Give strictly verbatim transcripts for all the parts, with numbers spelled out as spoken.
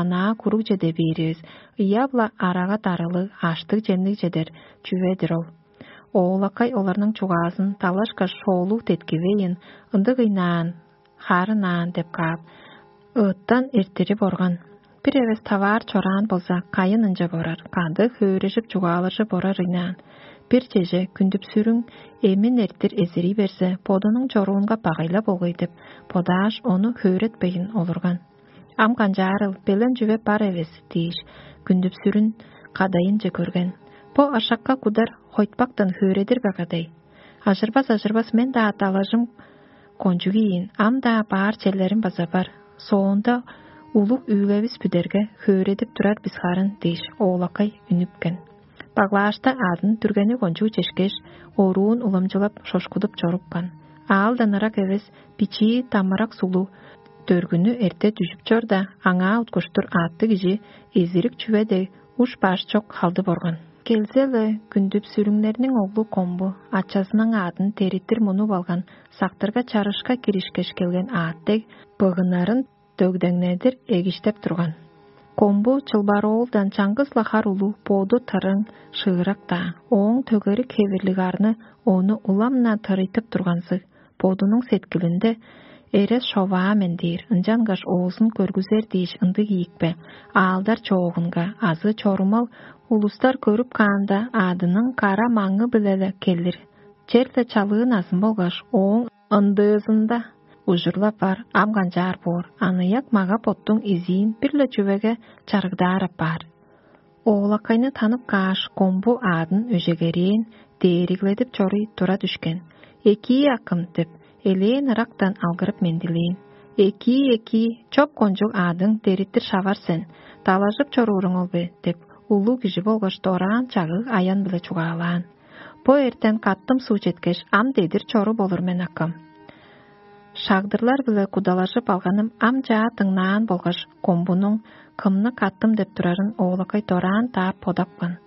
анаа куруг чеде бээривис, ыяп-ла арага дарылыг, аштыг-чемниг чедер чүве-дир ол. Оолакай оларның чугаазын талашкаш, шоолуг деткивейн, ындыг ыйнаан, харын аан деп каап, ыыттан эртирип орган. Бир эвес таваар чораан болза, кайын ынча борар, кады хөөрежип чугаалажып орар ыйнаан. Бир чеже күндүп-сүрүң эмин эртир эзирий берзе, бодунуң чоруунга багайла болгай деп бодааш, ону хөөретпейн олурган. Ам канчаарыл, белен чүве бар эвес дээш, күндүп-сүрүн кадайынче көрген. Бо ашакка кудар хойтпактан хөөредир бе кадай? Ажырбас, ажырбас, мен-даа далажым кончуг ийин, ам-даа баар черлерим база бар. Соонда улуг үүлгевис бүдерге хөөредип турар бис харын дээш, оолакай үнүпкен. Баглаашта адын дүргени кончуг чешкеш, оруун уламчылап, шошкудуп чорупкан. Аалдан ырак эвес, бичии тамырак сулу дөргүнү эрте дүжүп чорда, аңаа уткуштур аъттыг кижи эзирик чүве дег уш-баш чок халдып орган. Келзе-ле, күндүп-сүрүңнерниң оглу Комбу ачазының аадын териттир мунуп алган, сактырга чарышка киришкеш келген аът дег, быгынарын дөгдеңнедир эгиштеп турган. Комбу чылбар оолдан чаңгыс-ла хар улуг, боду тырың, шыырак-даа, ооң төгерик хевирлиг арны ону улам-на тырыйтып турганзыг, бодунуң сеткилинде: «Эрес шоваа мен» – дээр, ынчангаш оозун көргүзер дээш ындыг ийикпе, аалдар чоогунга азы чорумал улустар көрүп каанда, аъдының кара маңы-биле-ле келир. Черле чалыы назын болгаш ооң ындыызында ужурлап бар, ам канчаар боор, аныяк мага-боттуң изиин бир-ле чүвеге чарыгдаар апаар. Оолакайны танып кааш, Комбу аадын өжегерээн, дээригледип чоруй тура дүшкен. «Экии, акым» – деп, элээн ырактан алгырып мендилээн. «Экии, экии, чоп кончуг аъдың дериттир шавар сен, далажып чорууруң ол бе?» – деп, улуг кижи болгаш дораан чагыг аян-биле чугаалаан. «Бо эртен каттым суу четкеш, ам дедир чоруп олур мен, акым. Шагдырлар-биле кудалажып алганым ам чаа дыңнаан болгаш, Комбунуң кымны каттым деп турарын оолакай дораан даап бодапкан.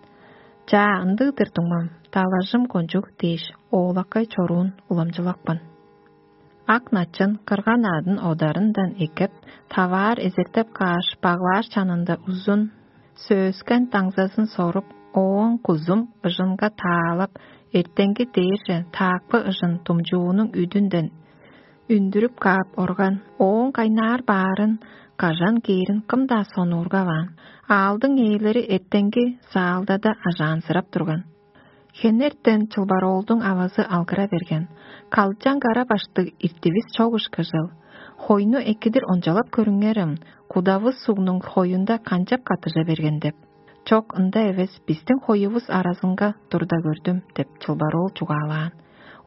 «Чаа, ындыг-дыр, дуңмам, далажым кончуг» – дээш, оолакай чоруун уламчылапкан. Ак начын кырган аъдын одарындан эккеп, таваар эзертеп кааш, баглааш чанында узун сөөскен даңзазын соруп, ооң кузум ыжынга таалап, эртенги дээрже таакпы ыжын думчуунуң үдүнден үндүрүп каап орган. Ооң кайнаар баарын, кажан кээрин кым-даа сонуургаваан. Аалдың ээлери эртенги заалдада ажаанзырап турган. Хенертен чылбар оолдуң авазы алгыра берген: «Калчаң кара баштыг иртивис чок ышкажыл. Хойну экидир ончалап көрүңерем, кудавыс сугнуң хоюнда канчап каттыжа берген» – деп. «Чок, ында эвес, бистиң хоювус аразынга турда көрдүм» – деп, чылбар оол чугаалаан.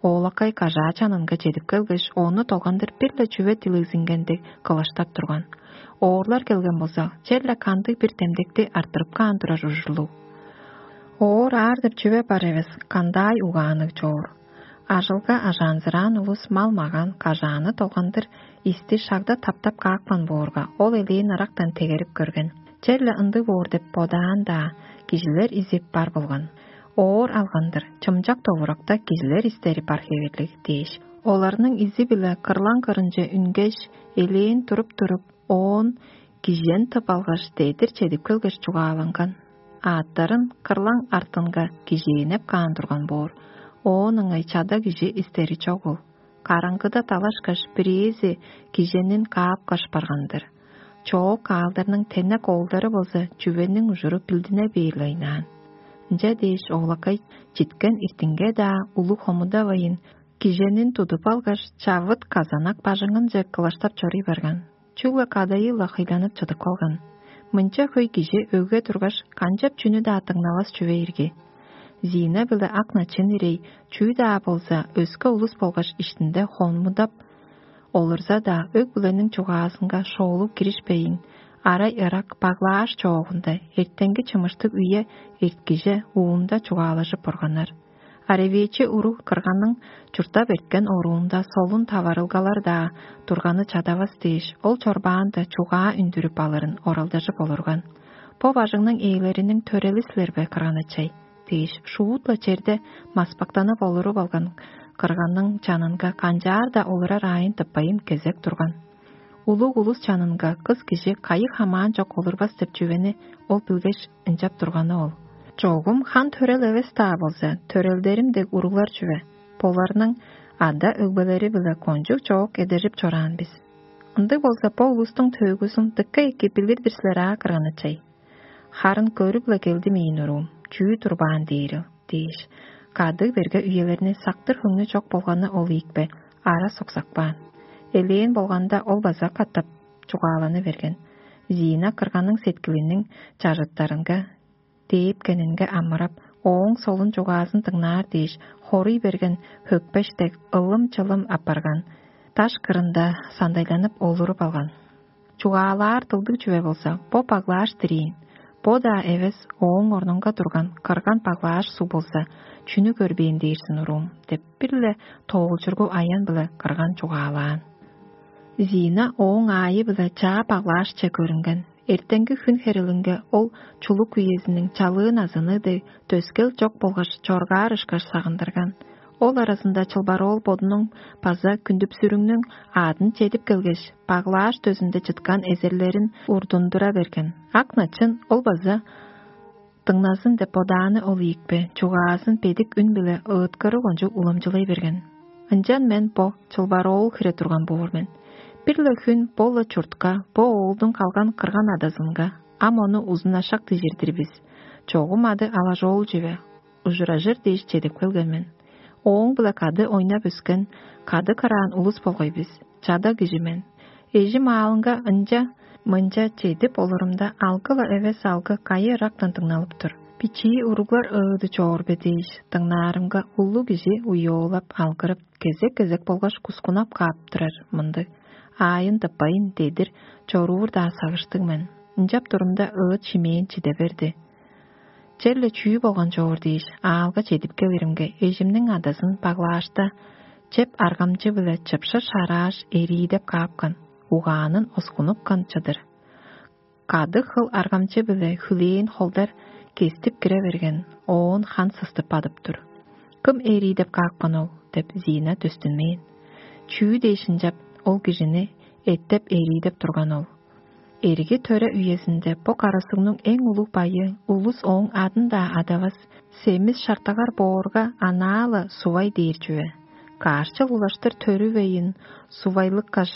Оолакай кажаа чанынга чедип келгеш, ону долгандыр бир-ле чүве дилегзингендиг кылаштап турган. Оорлар келген болза, черле кандыг-бир демдекти арттырып каан турар ужурлуг. Оор аар деп чүве бар эвес, кандаай угаанныг чоор. Ажылга ажаанзыраан улус мал-маган, кажааны долгандыр исти шагда таптап каапкан боорга, ол элээн ырактан тегерип көрген. Черле ындыг боор деп бодаан-даа, кижилер изип бар болган. Оор алгандыр, чымчак довуракта кижилер истери бар хевирлиг дээш, оларның изи-биле кырлаң кырынче үнгеш, элээн туруп-туруп, оон кижен тып алгаш, дедир чедип келгеш чугааланган. Аъттарын кырлаң артынга кижээнеп каан турган боор, оон ыңай чада кижи истери чогул. Караңгыда талашкаш, бирээзи киженин каапкаш барган-дыр. Чоок аалдарның тенек оолдары болза, чүвениң ужуру билдине бээр-ле ыйнаан. Ынча дээш, оолакай читкен иртинге-даа улуг хомудавайн, киженин тудуп алгаш, чавыт казанак бажыңынче кылаштап чоруй барган. Чүгле кадайы-ла хыйланып чыдып калган. Мынча хөй кижи өгге тургаш, канчап чүнү-даа дыңнавас чүве ирги. Зина биле ак начын ирей, чүү-даа болза, өске улус болгаш иштинде хомудап олурза-даа, өг-бүлениң чугаазынга шоолуг киришпейн, арай ырак баглааш чоогунда эртенги чымыштыг үе эрткиже уунда чугаалажып органнар. Аревечи уруг кырганның чурттап эрткен оруунда солун таварылгалар-даа турганы чадавас дээш, ол чорбаанда чугаа үндүрүп алырын оралдажып олурган. Бо бажыңның ээлериниң төрели силер бе, кырган ачай? Дээш, шуут-ла черде маспактанып олуруп алган кырганның чанынга канчаар-даа олурар аайын тыппайн кезек турган. Улуг улус чанынга кыс кижи кайы хамаан чок олурбас деп чүвени ол билгеш, ынчап турганы ол. Чогум хан төрел эвес-даа болза, төрелдерим дег уруглар чүве. Боларның ада өгбелери-биле кончуг чоок эдержип чораан бис. Ындыг болза, бо улустуң төөгүзүн дыка эки билир-дир силер аа, кырган ачай. Харын көрүп-ла келдим ийин уруум, чүү турбаан дээрил дээш, кадыг берге үелерни сактыр хөңнү чок болганы ол ийикпе, ара соксакпаан. Элээн болганда ол база катап чугааланы берген. Зина кырганың сеткилиниң чажыттарынга дээпкенинге амырап, ооң солун чугаазын дыңнаар дээш, хоруй берген хөкпеш дег ылым-чылым апарган, даш кырында сандайланып олуруп алган. Чугаалаар дылдыг чүве болза, бо баглааш дириин. Бо-даа эвес, ооң орнунга турган кырган баглааш суг болза, чүнү көрбээн дээрзин уруум деп бир-ле тоолчургу аян-биле кырган чугаалаан. Зина ооң аайы-биле чаа баглаашче көрүнген. Эртенги хүн херелинге ол чулук үезиниң чалыы назыны дег төскел чок болгаш чоргаар ышкаш сагындырган. Ол аразында чылбар оол бодунуң база күндүпсүрүңнүң аадын чедип келгеш, баглааш дөзүнде чыткан эзерлерин урдундура берген. Ак начын ол база дыңназын деп бодааны ол ийикпе, чугаазын бедик үн-биле ыыткырыг ончуг уламчылай берген. Ынчан мен бо чылбар оол хире турган боор мен. Бир-ле хүн бо-ла чуртка, бо оолдуң калган кырган адазынга, ам ону узун ашак дижир-дир бис. Чогум ады алажоол чүве, ужуражыр дээш чедип келген мен. Ооң-биле кады ойнап өскен, кады кыраан улус болгай бис. Чада кижи мен. Эжим аалынга ынча-мынча чедип олурумда, алгы-ла эвес алгы кайы ырактан дыңналып тур. Бичии уруглар ыыды чоор бе дээш, дыңнаарымга, улуг кижи уйоолап алгырып, кезек-кезек болгаш кускунап каап турар мындыг: «Аайын тыппайн, дедир чоруур-даа сагыштыг мен». Ынчап турумда ыыт шимээн чиде берди. Черле чүү болган чоор дээш, аалга чедип келиримге, эжимниң адазын баглаашта чеп аргамчы-биле чыпшыр шарааш, эриидеп каапкан, угаанын оскунупкан чыдыр. Кадыг хыл аргамчы-биле хүлээн холдар кестип кире берген, оон хан сыстып бадып тур. «Кым эриидеп каапкан ол?» — деп, Зина дөстүнмээн. «Чүү дээш ынчап ол кижини эттеп эриидеп турган ол?» Эрги төре үезинде бо карасыгның эң улуг байы улус ооң адын-даа адавас, семис шартагар боорга анаа-ла сувай дээр чүве. Каарчыл улаштыр төрүвейн сувайлыккаш,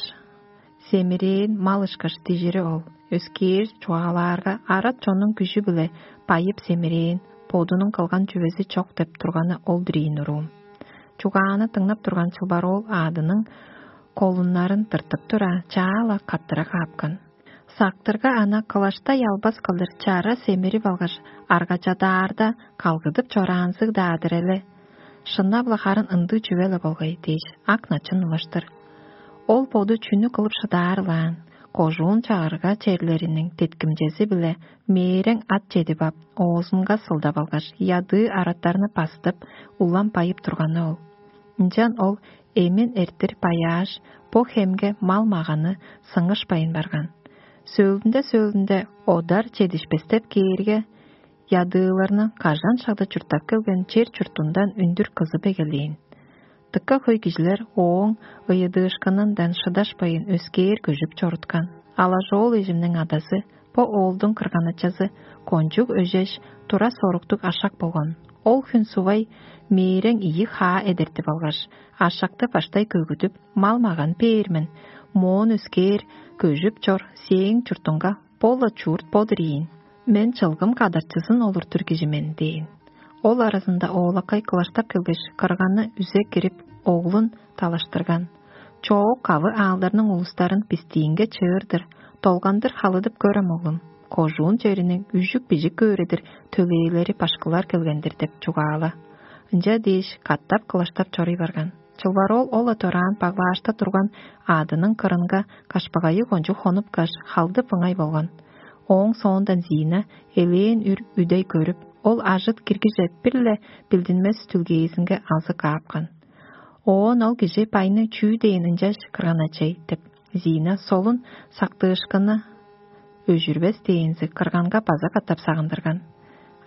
семирээн мал ышкаш дижири ол. Өскээр чугаалаарга, арат чоннуң күжү-биле байып семирээн, бодунуң кылган чүвези чок деп турганы ол-дур ийин уруум. Чугааны дыңнап турган чылбар оол аадының колуннарын тыртып тура, чаа-ла каттыра каапкан. Сактырга ана кылаштай албас кылдыр чара семирип алгаш, аргачадаарда калгыдып чораанзыг-даа-дыр эле. Шынап-ла харын ындыг чүве-ле болгай дээш, ак начын улаштыр. Ол боду чүнү кылып шыдаарыл аан, кожуун чагырга черлериниң деткимчези-биле мээрең ат чедип ап, оозунга сылдап алгаш, ядыы араттарны бастып, улам байып турганы ол. Ынчан ол эмин эртир баяаш, бо хемге мал-маганы сыңышпайн барган. Сөөлүнде-сөөлүнде одар чедишпестеп кээрге, ядыыларны кажан шагда чурттап келген чер-чуртундан үндүр кызып эгелээн. Дыка хөй кижилер ооң ыйыдыышкынындан шыдашпайн, өскээр көжүп чоруткан. Алажоол эжимниң адазы, бо оолдуң кырган-ачазы, кончуг өжеш, тура соруктуг ашак болган. Ол хүн сувай мээрең ийи хаа эдертип алгаш, ашакты баштай көгүдүп, мал-маган бээр мен, моон өскээр көжүп чор сээң чуртуңга бо-ла чурт бо-дур ийин. Мен чылгым кадарчызын олуртур кижи мен дээн. Ол аразында оолакай кылаштап келгеш, кырганы үзе кирип, оглун талаштырган. Чоок кавы аалдарның улустарын бистиинге чыыр-дыр, долгандыр халыдып көрем, оглум. Кожуун чериниң үжүк-бижик көөрү-дир төлээлери башкылар келген-дир деп чугаала. Ынча дээш, катап кылаштап чоруй барган. Чылбар ол ол-ла дораан баглаашта турган аадының кырынга кашпагайы кончуг хонупкаш, халдып ыңай болган. Ооң соондан Зина элээн үр үдей көрүп, ол ажыт киргиже бир-ле билдинмес түлгээзинге алзы каапкан. Оон ол кижи байны чүү дээн ынчаш кырган ачай деп, Зина солун сактыышкыны өжүрбес дээнзи кырганга база катап сагындырган.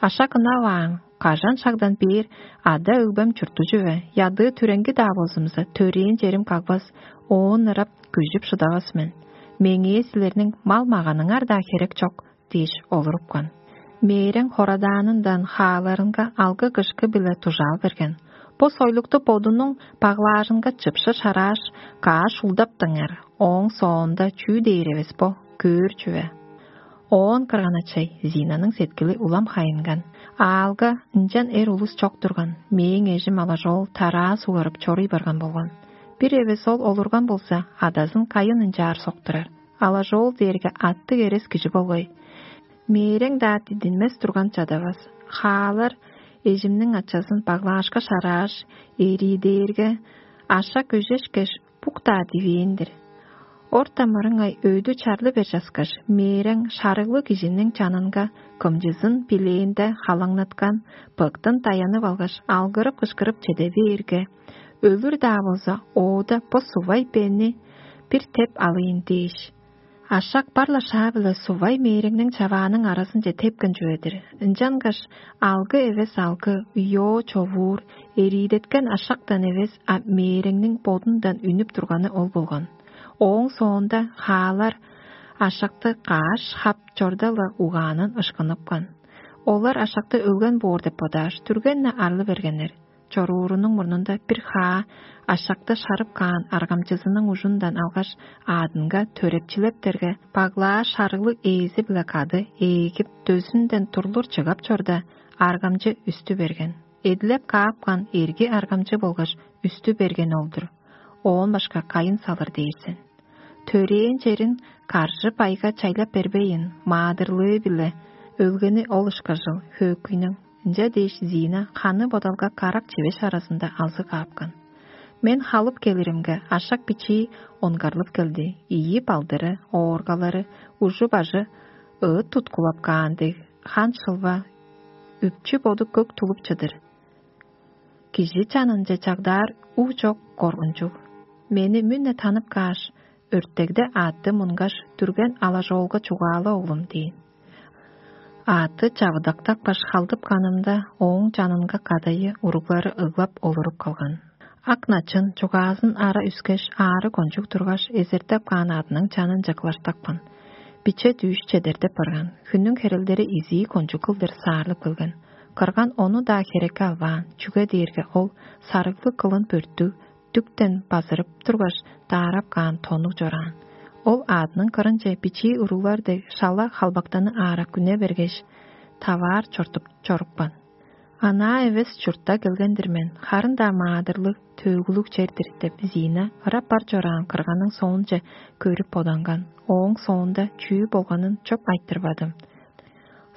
Ашак ынаваан, кажан шагдан бээр ада-өгбем чурттужу бе, ядыы түреңги-даа болзумза, төрээн черим кагбас, оон ырап күжүп шыдавас мен. Меңээ силерниң мал-маганыңар-даа херек чок» – дээш олурупкан. Мээрең хорадаанындан хааларынга алгы-кышкы-биле дужаал берген. Бо сойлукту бодунуң баглаажынга чыпшы шарааш, кааш улдаптыңар, ооң соонда чүү дээр эвес бо, көөр чүве. Оон кырган-ачай Зинаның сеткили улам хайынган. Аалга ынчан эр улус чок турган, мээң эжим алажоол тараа сугарып чоруй барган болган. Бир эвес ол олурган болза, адазын кайын ынчаар соктурар. Алажоол дээрге аттыг эрес кижи болгай. Мээрең-даа дидинмес турган чадавас. Хаалар эжимниң ачазын баглаашка шарааш, эрии дээрге, аша көжешкеш, бук-даа дивээн-дир. Орта мырыңай өйдү чарлы бер часкаш, мээрең шарыглыг кижиниң чанынга кымчызын билээнде халаңнаткан, быктын даянып алгаш, алгырып-кышкырып чеде бээрге, өлүр-даа болза, оода бо сувай бени бир теп алыйн дээш. Ашак бар-ла шаа-биле сувай мээреңниң чавааның аразынче тепкен чүве-дир. Ынчангаш алгы эвес алгы, уйоо човуур, эриидеткен ашактан эвес, а мээреңниң бодундан үнүп турганы ол болган. Ооң соонда хаалар ашакты кааш хап чорда-ла угаанын ышкыныпкан. Олар ашакты өлген боор деп бодааш, түрген-не арлы бергеннер. Чоруурунуң мурнунда бир хаа ашакты шарып каан аргамчызының ужундан алгаш, аадынга төрепчилептерге, баглаа шарыглыг ээзи-биле кады ээлгип, дөзүнден турлур чыгап чорда, аргамчы үстү берген. Эдилеп каапкан эрги аргамчы болгаш үстү берген ол-дур. Оон башка кайын салыр дээр сен? Төрээн черин каржы-байга чайлап бербейн, маадырлыы-биле өлгени ол ышкажыл хөөкүйнүң. Ынча дээш Зина ханы бодалга карак чивеш аразында алзы каапкан. Мен халып келиримге, ашак бичии онгарлып келди. Ийи балдыры, ооргалары, ужу-бажы ыыт туткулап каан дег, хан шылва, үпчү боду көк тулуп чыдыр. Кижи чанынче чагдаар уу чок коргунчуг. Мени мүн-не танып кааш, өртегде аътты мунгаш, дүрген алажоолга чугаала, оглум, дээн. Аътты чавыдактапкаш халдыпканымда, ооң чанынга кадайы уруглары ыглап олуруп калган. Ак начын чугаазын ара үскеш, аары кончуг тургаш, эзертеп каан аъдының чанынче кылаштапкан. Биче дүүш чедердеп барган, хүннүң херелдери изии кончуг кылдыр саарлып келген. Кырган ону-даа херекке албаан, чүге дээрге ол сарыглыг кылын бөрттүг, дүктен базырып тургаш, даарап каан тоннуг чораан. Ол аъдының кырынче бичии уруглар дег шала халбактаны аарак үне бергеш, таваар чортуп чорупкан. Анаа эвес чуртта келген-дир мен, харын-даа маадырлыг, төөгүлүг чер-дир деп Зина ырап бар чораан кырганның соонче көрүп боданган. Ооң соонда чүү болганын чоп айтырбадым.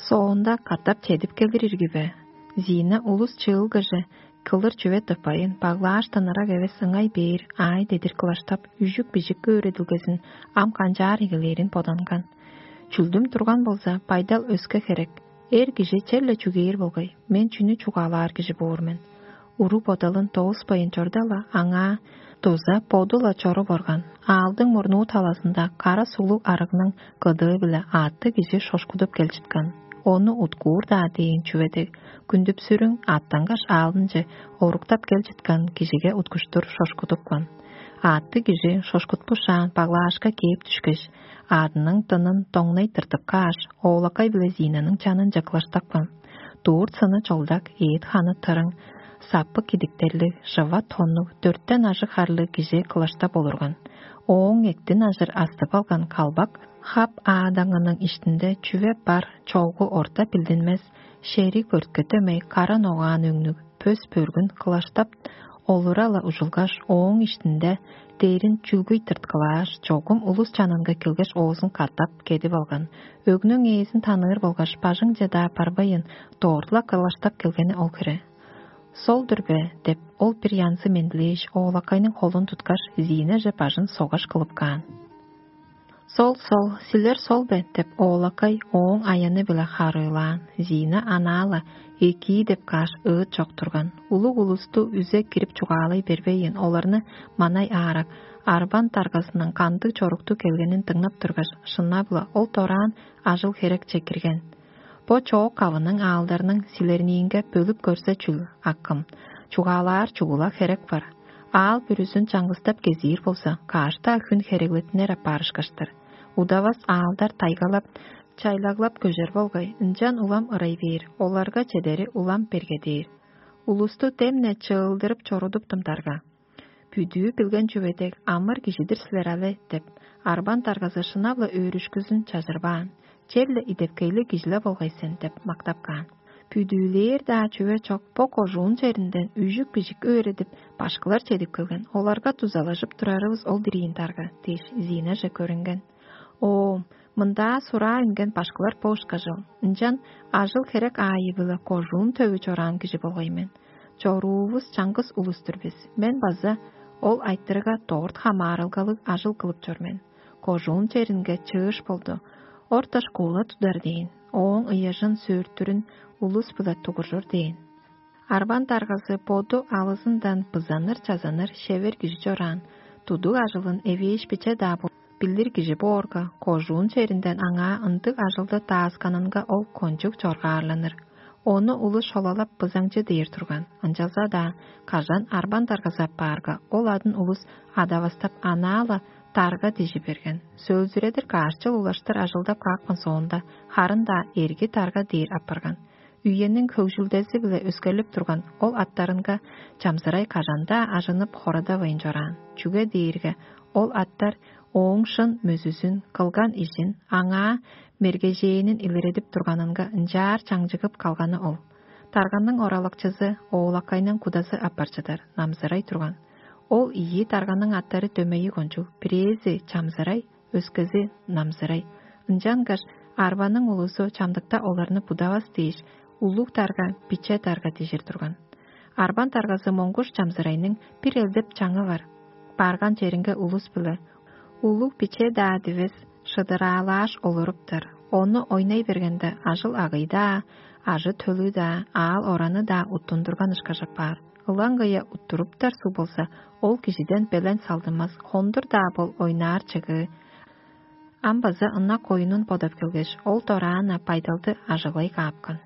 Соонда катап чедип келир ирги бе? Зина улус чыылгыже кылыр чүве тыппайын, баглааштан ырак эвес ыңай бээр аай дедир кылаштап, үжүк-бижик өөредилгезин ам канчаар эгелээрин боданган. Чүлдүм турган болза, байдал өске херек. Эр кижи черле чүгээр болгай, мен чүнү чугаалаар кижи боор мен? Уруг бодалын дооспайн чорда-ла, аңаа дуза боду-ла чоруп орган. Аалдың мурнуу талазында кара суглуг арыгның кыдыы-биле аътты кижи шошкудуп кел чыткан. Ону уткуур-даа дээн чүве дег, күндүпсүрүң аттангаш аалынче оруктап кел чыткан кижиге уткуштур шошкудупкан. Аътты кижи шошкутпушаан баглаашка кээп дүшкеш, аъдының дынын доңнай тыртып кааш, оолакай биле Зинаның чанынче кылаштапкан. Дурт сыны чолдак, эът ханы тырың, саппы кидиктерлиг, шыва тоннуг, дөртен ажыг харлыг кижи кылаштап олурган. Ооң эктин ажыр астып алган калбак хап аадаңының иштинде чүве бар, чогу орта билдинмес, шериг бөртке дөмей кара ногаан өңнүг, пөс бөргүн кылаштап олура-ла ужулгаш, ооң иштинде дээрин чүлгүй тырткылааш, чогум улус чанынга келгеш, оозун катап кедип алган. Өгнүң ээзин таныыр болгаш, бажыңче-даа барбайын, дорт-ла кылаштап келгени ол хире. «Сол-дур бе?» – деп, ол бир янзы мендилээш, оолакайның холун туткаш, Зиинаже бажын согаш кылып каан. «Сол, сол, силер сол бе?» – деп, оолакай ооң аяны-биле харыылаан. Зиина анаа-ла: «Экии» – деп кааш, ыыт чок турган. Улуг улусту үзе кирип чугаалай бербейн, оларны манай аарак, арбан даргазының кандыг чоруктуг келгенин дыңнап тургаш, шынап-ла, ол дораан ажыл-херекче кирген. Бо чоок авының аалдарның силерниинге бөлүп көрзе чүл, акым? Чугаалаар чугула херек бар. Аал бүрүзүн чаңгыстап кезиир болза, каш-даа хүн хереглеттинер апаар ышкаш-тыр. Удавас аалдар тайгалап, чайлаглап көжер болгай, ынчан улам ырай бээр, оларга чедери улам бергедээр. Улусту демне чыылдырып чорудуптум дарга. «Бүдүү билген чүве дег амыр кижи-дир силер але» – деп, арбан даргазы шынап-ла өөрүшкүзүн чажырбаан, «Черле идепкейлиг кижи-ле болгай сен» – деп мактап каан. «Бүдүүлээр-даа чүве чок, бо кожуун черинден үжүк-бижик өөредип, башкылар чедип келген, оларга дузалажып турарывыс ол-дур ийин дарга» – дээш, Зинаже көрүнген. «Оом, мындаа сураа үнген башкылар бо ышкажыл. Ынчан ажыл-херек аайы-биле кожуун төвү чораан кижи болгай мен. Чоруувус чаңгыс улус-тур бис. Мен база ол айтырыга дорт хамаарылгалыг ажыл кылып чор мен. Кожуун черинге чыыш болду. Орта школа тудар дээн. Ооң ыяжын сөөртүрүн улус-биле тугуржур дээн». Арбан даргазы боду алызындан бызаныр-чазаныр шевер кижи чораан, тудуг ажылын эвээш биче-даа бо билир кижи боорга, кожуун черинден аңаа ындыг ажылды даасканынга ол кончуг чоргаарланыр. Ону улус шолалап бызаңчы дээр турган, ынчалза-даа кажан арбан даргазы аппаарга, ол адын улус адавастап, анаа-ла дарга дижи берген. Сөөлзүредир каш чыл улаштыр ажылдап каапкан соонда, харын-даа эрги дарга дээр апарган. Үениң хөгжүлдези-биле өскерлип турган ол аттарынга Чамзырай кажан-даа ажынып хорадавайн чораан, чүге дээрге ол аттар ооң шын мөзүзүн, кылган ижин, аңаа мергежээнин илередип турганынга ынчаар чаңчыгып калганы ол. Тарганның оралакчызы Оолакайның кудазы апарчыдар, Намзырай турган. Ол ийи тарганның аттары дөмейи кончуг, бирээзи Чамзырай, өскези Намзырай. Ынчангаш арбаның улузу чамдыкта оларны будавас дээш, улуг дарга, биче дарга дижир турган. Арбан даргазы Моңгуш Чамзырайның бир элдеп чаңы бар. Барган черинге улус-биле улуг-биче-даа дивес шыдыраалааш олуруптар. Ону ойнай бергенде, ажыл-агый-даа, ажы-төлү-даа, аал-ораны-даа уттундурган ышкажап баар. Ылаңгыя уттуруптар суг болза, ол кижиден белен салдынмас, хондур-даа бол ойнаар чыгыы. Ам база ынак оюнун бодап келгеш, ол дораан-на байдалды ажыглай каапкан.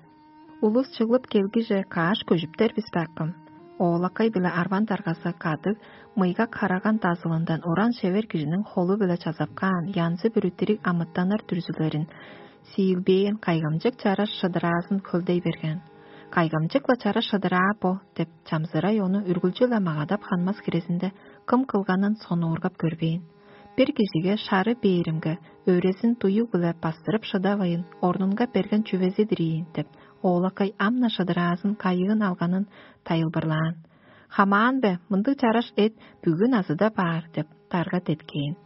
Улус чыглып келгиже каш көжүптер бис бе, акым? Оолакай биле арбан даргазы кадыг мыйгак хараган дазылындан уран шевер кижиниң холу-биле чазап каан янзы-бүрү дириг амытаннар дүрзүлерин сиилбээн кайгамчык чараш шыдыраазын хөлдей берген. «Кайгамчык-ла чараш шыдыраа бо» – деп, Чамзырай ону үргүлчү-ле магадап ханмас хирезинде, кым кылганын сонуургап көрбээн. «Бир кижиге шары бээримге, өрезин дуюг-биле бастырып шыдавайын, орнунга берген чүвези-дир ийин» – деп, Оолакай ам-на шыдыраазын кайыын алганын тайылбырлаан. «Хамаан бе, мындыг чараш эт бүгүн азыда баар» – деп, дарга деткээн.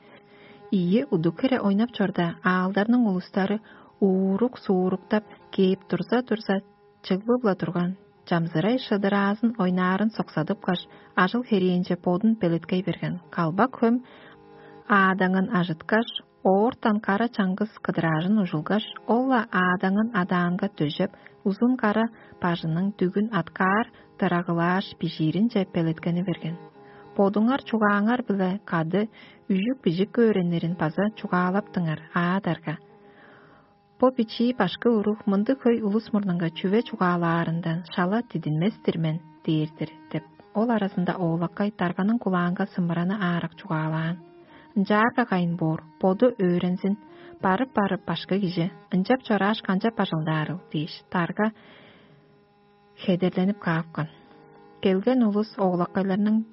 Ийи удук хире ойнап чорда, аалдарның улустары уурук-сууруктап кээп турза-турза, чыглып-ла турган. Чамзырай шыдыраазын ойнаарын соксадыпкаш, ажыл-херээнче бодун белеткей берген. Калбак-хөм аадаңын ажыткаш, оортан кара чаңгыс кыдыраажын ужулгаш, ол-ла аадаңын адаанга дөжеп, узун кара бажының дүгүн аткаар дырагылааш, бижииринче белеткени берген. «Бодуңар чугааңар-биле кады үжүк-бижик көөреннерин база чугаалаптыңар, аа, дарга. Бо бичии башкы уруг мындыг хөй улус мурнунга чүве чугаалаарындан шала дидинмес-тир мен» – дээр-дир деп, ол аразында Оолакай дарганың кулаанга сымыраны аарак чугаалаан. «Ынчаарга кайын боор, боду өөрензин, барып-барып башкы кижи, ынчап чорааш канчап бажылдаарыл?» – дээш, дарга хедерленип каапкан. Келген улус Оолакайларның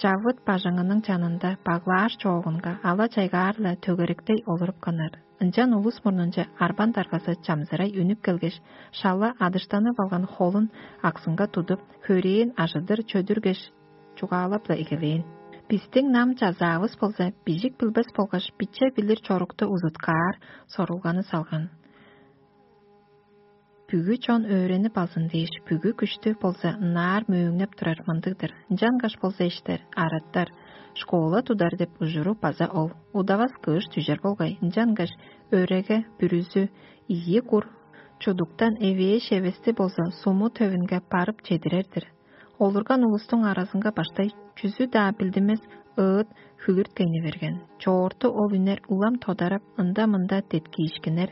чавыт бажыңының чанында баглааш чоогунга ала-чайгаар-ла төгеректей олурупканнар. Ынчан улус мурнунче арбан даргазы Чамзырай үнүп келгеш, шала адыштанып алган холун аксынга тудуп, хөрээн ажыдыр чөдүргеш, чугаалап-ла эгелээн: «Бистиң нам-чазаавыс болза, бижик билбес болгаш биче билир чорукту узуткаар сорулганы салган. Бүгү чон өөренип алзын дээш, бүгү күштү болза ынаар мөөңнеп турар мындыг-дыр. Ынчангаш болза иштер, араттар, школа тудар деп ужуру база ол. Удавас кыш дүжер болгай, ынчангаш өреге бүрүзү ийи кур чудуктан эвээш эвести болза суму төвүнге барып чедирер-дир. Олурган улустуң аразынга баштай чүзү-даа билдинмес ыыт хүлүрткейни берген. Чоорту ол үнер улам тодарап, ында-мында деткиишкиннер,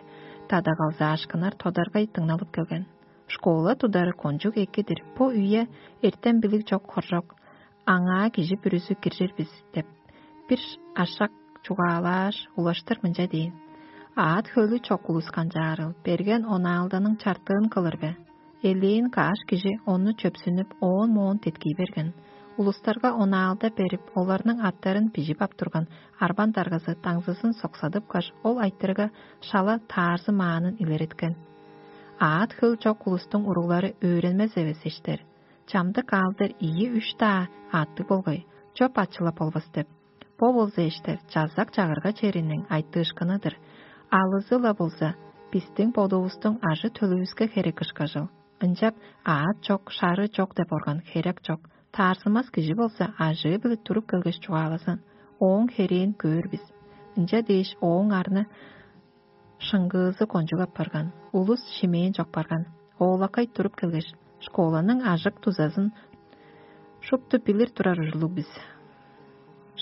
тадагалзаашкыннар тодаргай дыңналып келген. Школа тудары кончуг эки-дир, бо үе эртем билиг чок хоржок, аңаа кижи бүрүзү киржир бис деп, бир ашак чугаалааш, улаштыр мынча дээн: «Аът хөлү чок улус канчаарыл, берген онаалданың чартыын кылыр бе?» Элээн каш кижи ону чөпсүнүп, оон-моон деткий берген. Улустарга онаалда берип, оларның аттарын бижип ап турган арбан даргазы даңзызын соксадыпкаш, ол айтырыга шала таарзы маанын илереткен. «Аът хөл чок улустуң уруглары өөренмес эвес эштер. Чамдык аалдар ийи-үш-даа аъттыг болгай, чоп ачылап болбас» деп. Бо болза эштер чазак чагырга чериниң айтыышкыны-дыр. Алызы-ла болза, бистиң бодувустуң ажы-төлүвүске херек ышкажыл. Ынчап аът чок, шары чок деп орган херек чок. Таарзымас кижи болза, ажыы-биле туруп келгеш чугаалазын. Ооң херээн көөр бис. Ынча дээш, ооң арны шыңгыызы кончуг апарган. Улус шимээн чок барган. Оолакай туруп келгеш: «Школаның ажык дузазын шупту билир турар ужурлуг бис.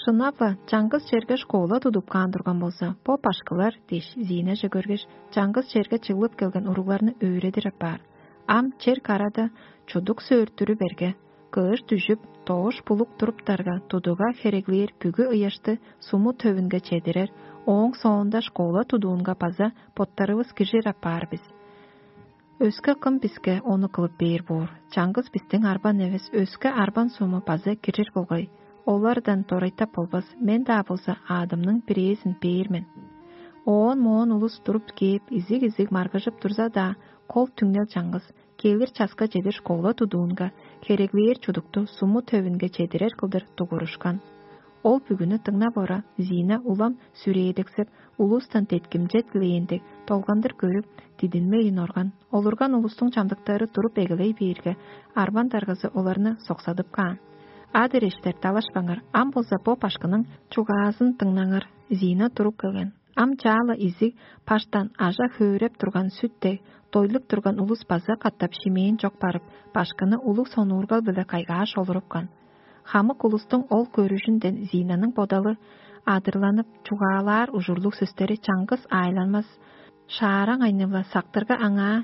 Шынап-ла, чаңгыс черге школа тудуп каан турган болза, бо башкылар» дээш, Зинаже көргеш, чаңгыс черге чыглып келген уругларны өөредир апаар. Ам чер карада чудук сөөртүрү берге, кыш дүжүп, доош булук туруптарга, тудуга хереглээр бүгү ыяшты суму төвүнге чедирер, ооң соонда школа тудуунга база боттарывыс киржир апаар бис. Өске кым биске ону кылып бээр боор? Чаңгыс бистиң арбан эвес, өске арбан суму база киржир болгай. Олардан дорайтап болбас, мен-даа болза аъдымның бирээзин бээр мен. Оон-моон улус туруп кээп, изиг-изиг маргыжып турза-даа, кол түңнел чаңгыс, келир часка чедир школа тудуунга хереглээр чудукту суму төвүнге чедирер кылдыр дугурушкан. Ол бүгүнү дыңнап ора, Зина улам сүрээдексеп, улустан деткимче дилээн дег, долгандыр көрүп, дидинмейн орган. Олурган улустуң чамдыктары туруп эгелей бээрге, арбан даргазы оларны соксадып каан: «Адыр эштер, далашпаңар, ам болза бо башкының чугаазын дыңнаңар». Зина туруп келген. Ам чаала изиг паштан ажа хөөреп турган сүт дег, дойлуп турган улус база катап шимээн чок барып, башкыны улуг сонуургал-биле кайгааш олурупкан. Хамык улустуң ол көрүжүнден Зинаның бодалы адырланып, чугаалаар ужурлуг сөстери чаңгыс аайланмас шаараң айнывла сактырга аңаа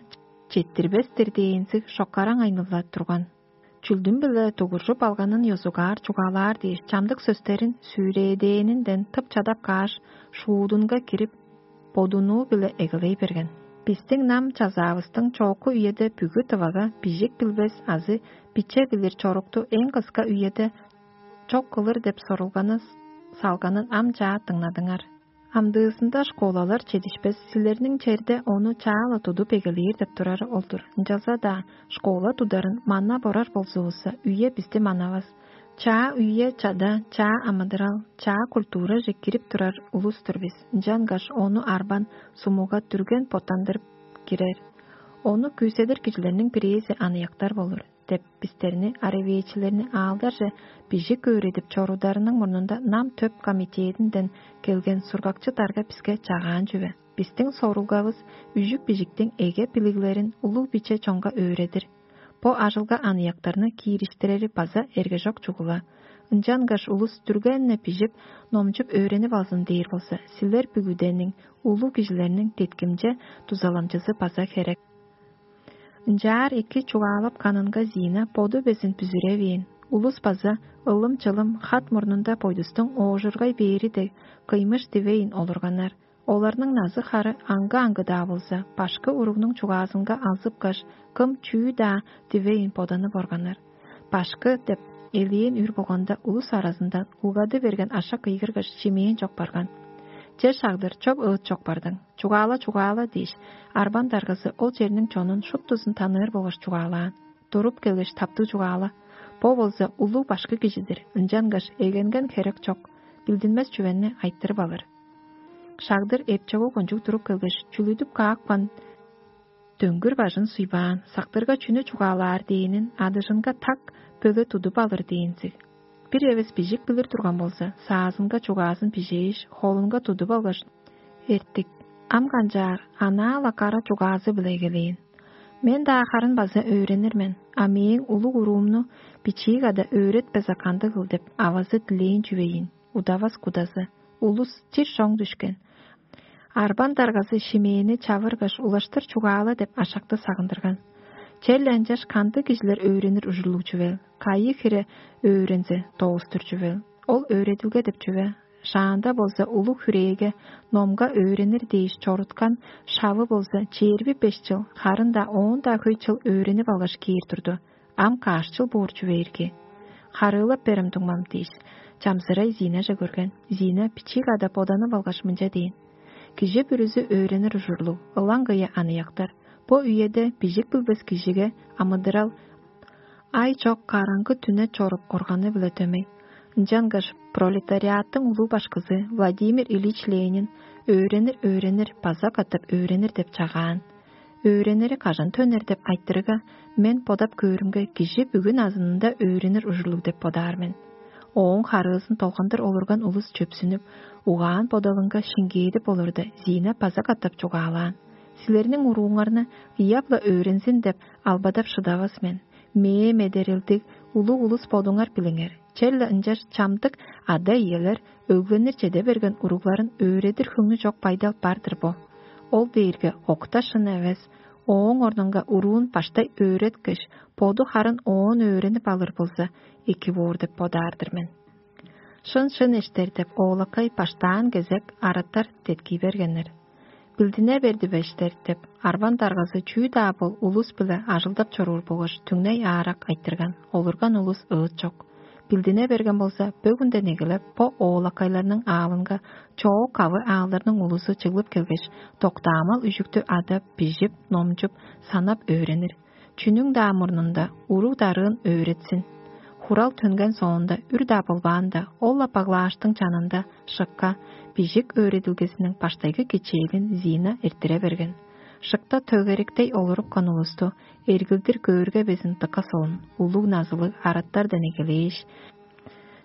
четтирбес-тир дээнзиг шоккараң айнывла турган. Чүлдүм-биле дугуржуп алганын ёзугаар чугаалаар дээш, чамдык сөстерин сүүрээдээнинден тып чадап кааш, шуудунга кирип, бодунуу-биле эгелей берген. Бистиң нам чазаавыстың чоокку үеде бүгү тывага бижик билбес азы биче билир чорукту эң кыска үеде чок кылыр деп сорулганы салганын ам чаа дыңнадыңар. Амдыызында школалар чедишпес, силерниң черде ону чаала тудуп эгелээр деп турары ол-дур. Ынчалза-даа школа тударын манап орар болзувусса, үе бисти манавас. Чаа үе чада, чаа амыдырал, чаа культураже кирип турар улус-тур бис. Ынчангаш ону арбан сумуга дүрген боттандырып кирер. Ону күүседир кижилерниң бирээзи аныяктар болур деп бистерни, аравээчилерни аалдарже бижик өөредип чорударының мурнунда нам төп комитетинден келген сургакчы дарга биске чагаан чүве. Бистиң сорулгавыс үжүк-бижиктиң эге билиглерин улуг биче чонга өөредир. Бо ажылга аныяктарны киириштирери база эргежок чугула. Ынчангаш улус дүргенне бижип, номчуп өөренип алзын дээр болза, силер бүгүдениң, улуг кижилерниң деткимче дузаламчызы база херек. Ынчаар эки чугаалап канынга Зина боду безин бүзүревээн. Улус база ылым-чылым хат мурнунда бойдустуң оожургай бээри дег кыймыш дивейн олурганнар. Оларның назы-хары аңгы-аңгы-даа болза, башкы уругнуң чугаазынга алзыпкаш, кым чүү-даа дивейн боданып органнар. «Башкы» деп элээн үр болганда, улус аразындан улгады берген ашак кыйгыргаш, чимээн чок барган. Че шагдыр, чоп ыыт чок бардың. «Чугаала, чугаала» дээш, арбан даргазы ол черниң чонун шуптузун таныыр болгаш чугаалаан. Туруп келгеш, таптыг чугаала. Бо болза улуг башкы кижи-дир, ынчангаш эгенген херек чок, билдинмес чүвени айтырып алыр. Шагдыр эпчогу кончуг туруп келгеш, чүлүдүп каапкан дөңгүр бажын суйбаан, сактырга чүнү чугаалаар дээнин адыжынга так бөле тудуп алыр дээнзиг. Бир эвес бижик билир турган болза, саазынга чугаазын бижээш, холунга тудуп алгаш: «Эртик, ам канчаар, анаа-ла кара чугаазы-биле эгелээн. Мен-даа харын база өөренир мен, а мээң улуг уруумну бичии када өөретпеза кандыгыл» деп авазы дилээн чүвейин, удавас кудазы. Улус чир чоң дүшкен. Арбан даргазы шимээни чавыргаш, улаштыр чугаала деп ашакты сагындырган. Черле ынчаш кандыг кижилер өөренир ужурлуг чүвел, кайы хире өөрензе, доостур чүвел. Ол өөредилге деп чүве. Шаанда болза улуг хүрээге номга өөренир дээш чоруткан шавы болза чээрби беш чыл, харын-даа оон-даа хөй чыл өөренип алгаш кээр турду. Ам каш чыл боор чүвээрги? Харыылап берем, дуңмам дээш, чамзырай Зинаже көрген. Зина бичии када боданып алгаш мынча дээн: «Кижи бүрүзү өөренир ужурлуг, ылаң кыя аныяктар. Бо үеде бижик билбес кижиге амыдырал ай чок караңгы түне чоруп органы-биле дөмей. Ынчангаш пролетариаттың улуг башкызы Владимир Ильич Ленин: „Өөренир, өөренир, база катап өөренир“ – деп чагаан. Өөренери кажан төнер деп айтырыга, мен бодап көөрүмге, кижи бүгүн азынында өөренир ужурлуг деп бодаар мен». Ооң харыызын долгандыр олурган улус чөпсүнүп, угаан-бодалынга шиңгээдип олурда, Зина база катап чугаалаан: «Силерниң урууңарны ыяп-ла өөрензин деп албадап шыдавас мен. Мээ медерелдиг улуг улус бодуңар билиңер. Черле ынчаш чамдык ада-иелер өгленир чеде берген уругларын өөредир хөңнү чок байдал бар-дыр бо. Ол дээрге окта шын эвес. Ооң орнунга уруун баштай өөреткеш, боду харын оон өөренип алыр болза, эки боор деп бодаар-дыр мен». «Шын, шын эштер» – деп оолакай баштаан кезек араттар деткий бергеннер. «Билдине берди бе, эштер» – деп арван даргазы чүү-даа бол улус-биле ажылдап чоруур болгаш түңней аарак айтырган. Олурган улус ыыт чок. Билдине берген болза, бөгүнден эгелеп бо оолакайларның аалынга чоок-кавы аалдарның улузу чыглып келгеш, доктаамал үжүктү адап, бижип, номчуп, санап өөренир. Чүнүң-даа мурнунда уруг-дарыын өөретсин. Хурал төнген соонда, үр-даа болбаанда, ол-ла баглааштың чанында шыкка, бижик өөредилгезиниң баштайгы кичээлин Зина эрттире берген. Шыкта төгеректей олурупкан улусту эргилдир көөрге безин дыка солун, улуг назылыг араттардан эгелээш,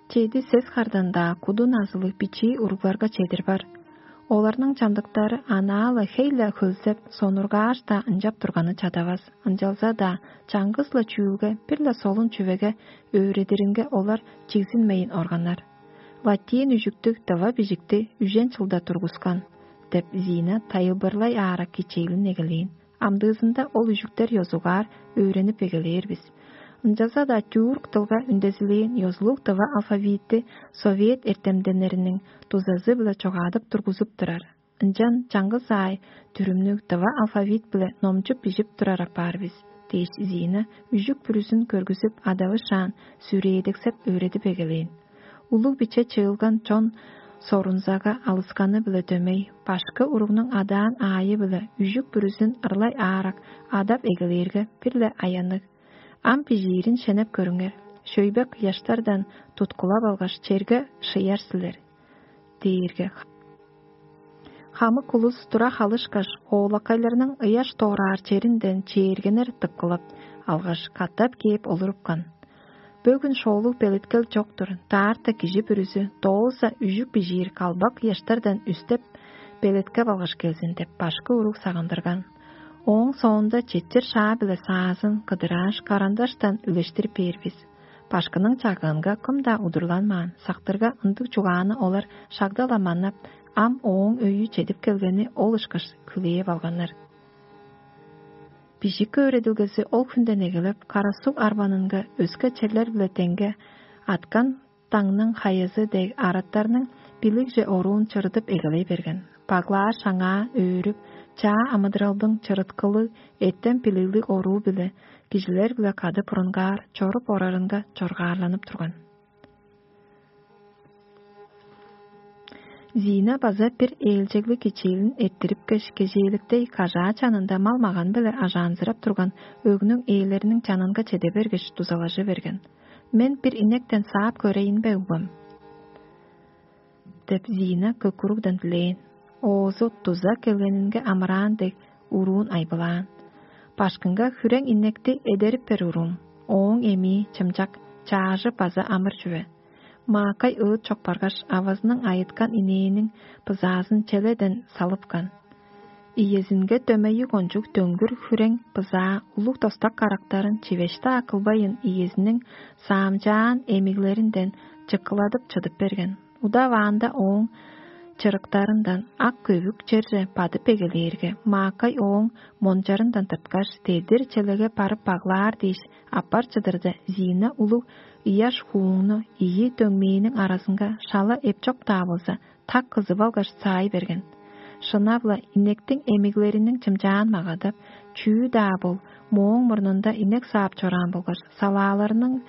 чеди-сес хардан-даа куду назылыг бичии уругларга чедир бар. Оларның чамдыктары анаа-ла хей-ле хөлзеп, сонургааш-даа ынчап турганы чадавас. Ынчалза-даа чаңгыс-ла чүүлге бир-ле солун чүвеге өөредиринге олар чигзинмейн органнар. «Латин үжүктүг дыва бижикти үжен чылда тургускан» – деп Зина тайылбырлай аарак кичээлин эгелээн. Амдыызында ол үжүктер ёзугаар өөренип эгелээр бис. Ынчалза-даа тюрк дылга үндезилээн ёзулуг дыва алфавитти совет эртемденнериниң дузазы-биле чогаадып тургузуп турар. Ынчан чаңгыс аай дүрүмнүг дыва алфавит-биле номчуп бижип турар апаар бис, – дээш, Зина үжүк бүрүзүн көргүзүп, адавышаан, сүрээдексеп өөредип эгелээн. Улуг-биче чыылган чон сорунзага алысканы-биле дөмей, башкы уругнуң адаан аайы-биле үжүк бүрүзүн ырлай аарак адап эгелээрге, бир-ле аянныг. «Ам бижиирин шенеп көрүңер. Шөйбек ыяштардан туткулап алгаш, черге шыяр силер» – дээрге, хамык улус тура халышкаш, оолакайларның ыяш доораар черинден чээргенер тыпкылап алгаш, катап кээп олурупкан. «Бөгүн шоолуг белеткел чок-тур, даарта кижи бүрүзү дооза үжүк бижиир калбак ыяштардан үстеп, белеткеп алгаш келзин» – деп, башкы уруг сагындырган. Ооң соонда четчир шаа-биле саазын кыдырааш, карандаштан үлештирип бээр бис. Башкының чагыынга кым-даа удурланмаан, сактырга ындыг чугааны олар шагда-ла манап, ам ооң өйү чедип келгени ол ышкаш хүлээп алганнар. Бижик өөредилгези ол хүнден эгелеп, Кара-Суг арбанынга өске черлер-биле деңге аткан даңның хаязы дег араттарның билигже оруун чырыдып эгелей берген. Баглааш аңаа өөрүп, чаа амыдыралдың чырыткылыг, эртем билиглиг оруу-биле кижилер-биле кады бурунгаар чоруп орарынга чоргаарланып турган. Зина база бир ээлчеглиг кичээлин эрттирипкеш, кежээликтей кажаа чанында мал-маган-биле ажаанзырап турган өгнүң ээлериниң чанынга чеде бергеш, дузалажы берген: «Мен бир инектен саап көрейн бе, угбам?» – деп, Зина көк-куругдан дилээн. Оозу дуза келгенинге амыраан дег, уруун айбылаан. «Башкыңга хүрең инекти эдерип бер, уруум. Ооң эмии чымчак, чаажы база амыр чүве». Маакай ыыт чок баргаш, авазының айыткан инээниң бызаазын челеден салыпкан. Иезинге дөмейи кончуг дөңгүр хүрең бызаа улуг достак карактарын чивеш-даа кылбайын, иезиниң саамчаан эмиглеринден чыккыладып чыдып берген. Удаваанда ооң чырыктарындан ак көвүк черже бадып эгелээрге, Маакай ооң мончарындан тырткаш, дедир челеге барып баглаар дээш, аппар чыдырда, Зина улуг ыяш хууңну ийи дөңмээниң аразынга шала эпчок-даа болза, так кызып алгаш, саай берген. Шынап-ла, инектиң эмиглериниң чымчаан магадап, чүү-даа бол, мооң мурнунда инек саап чораан болгаш, салааларының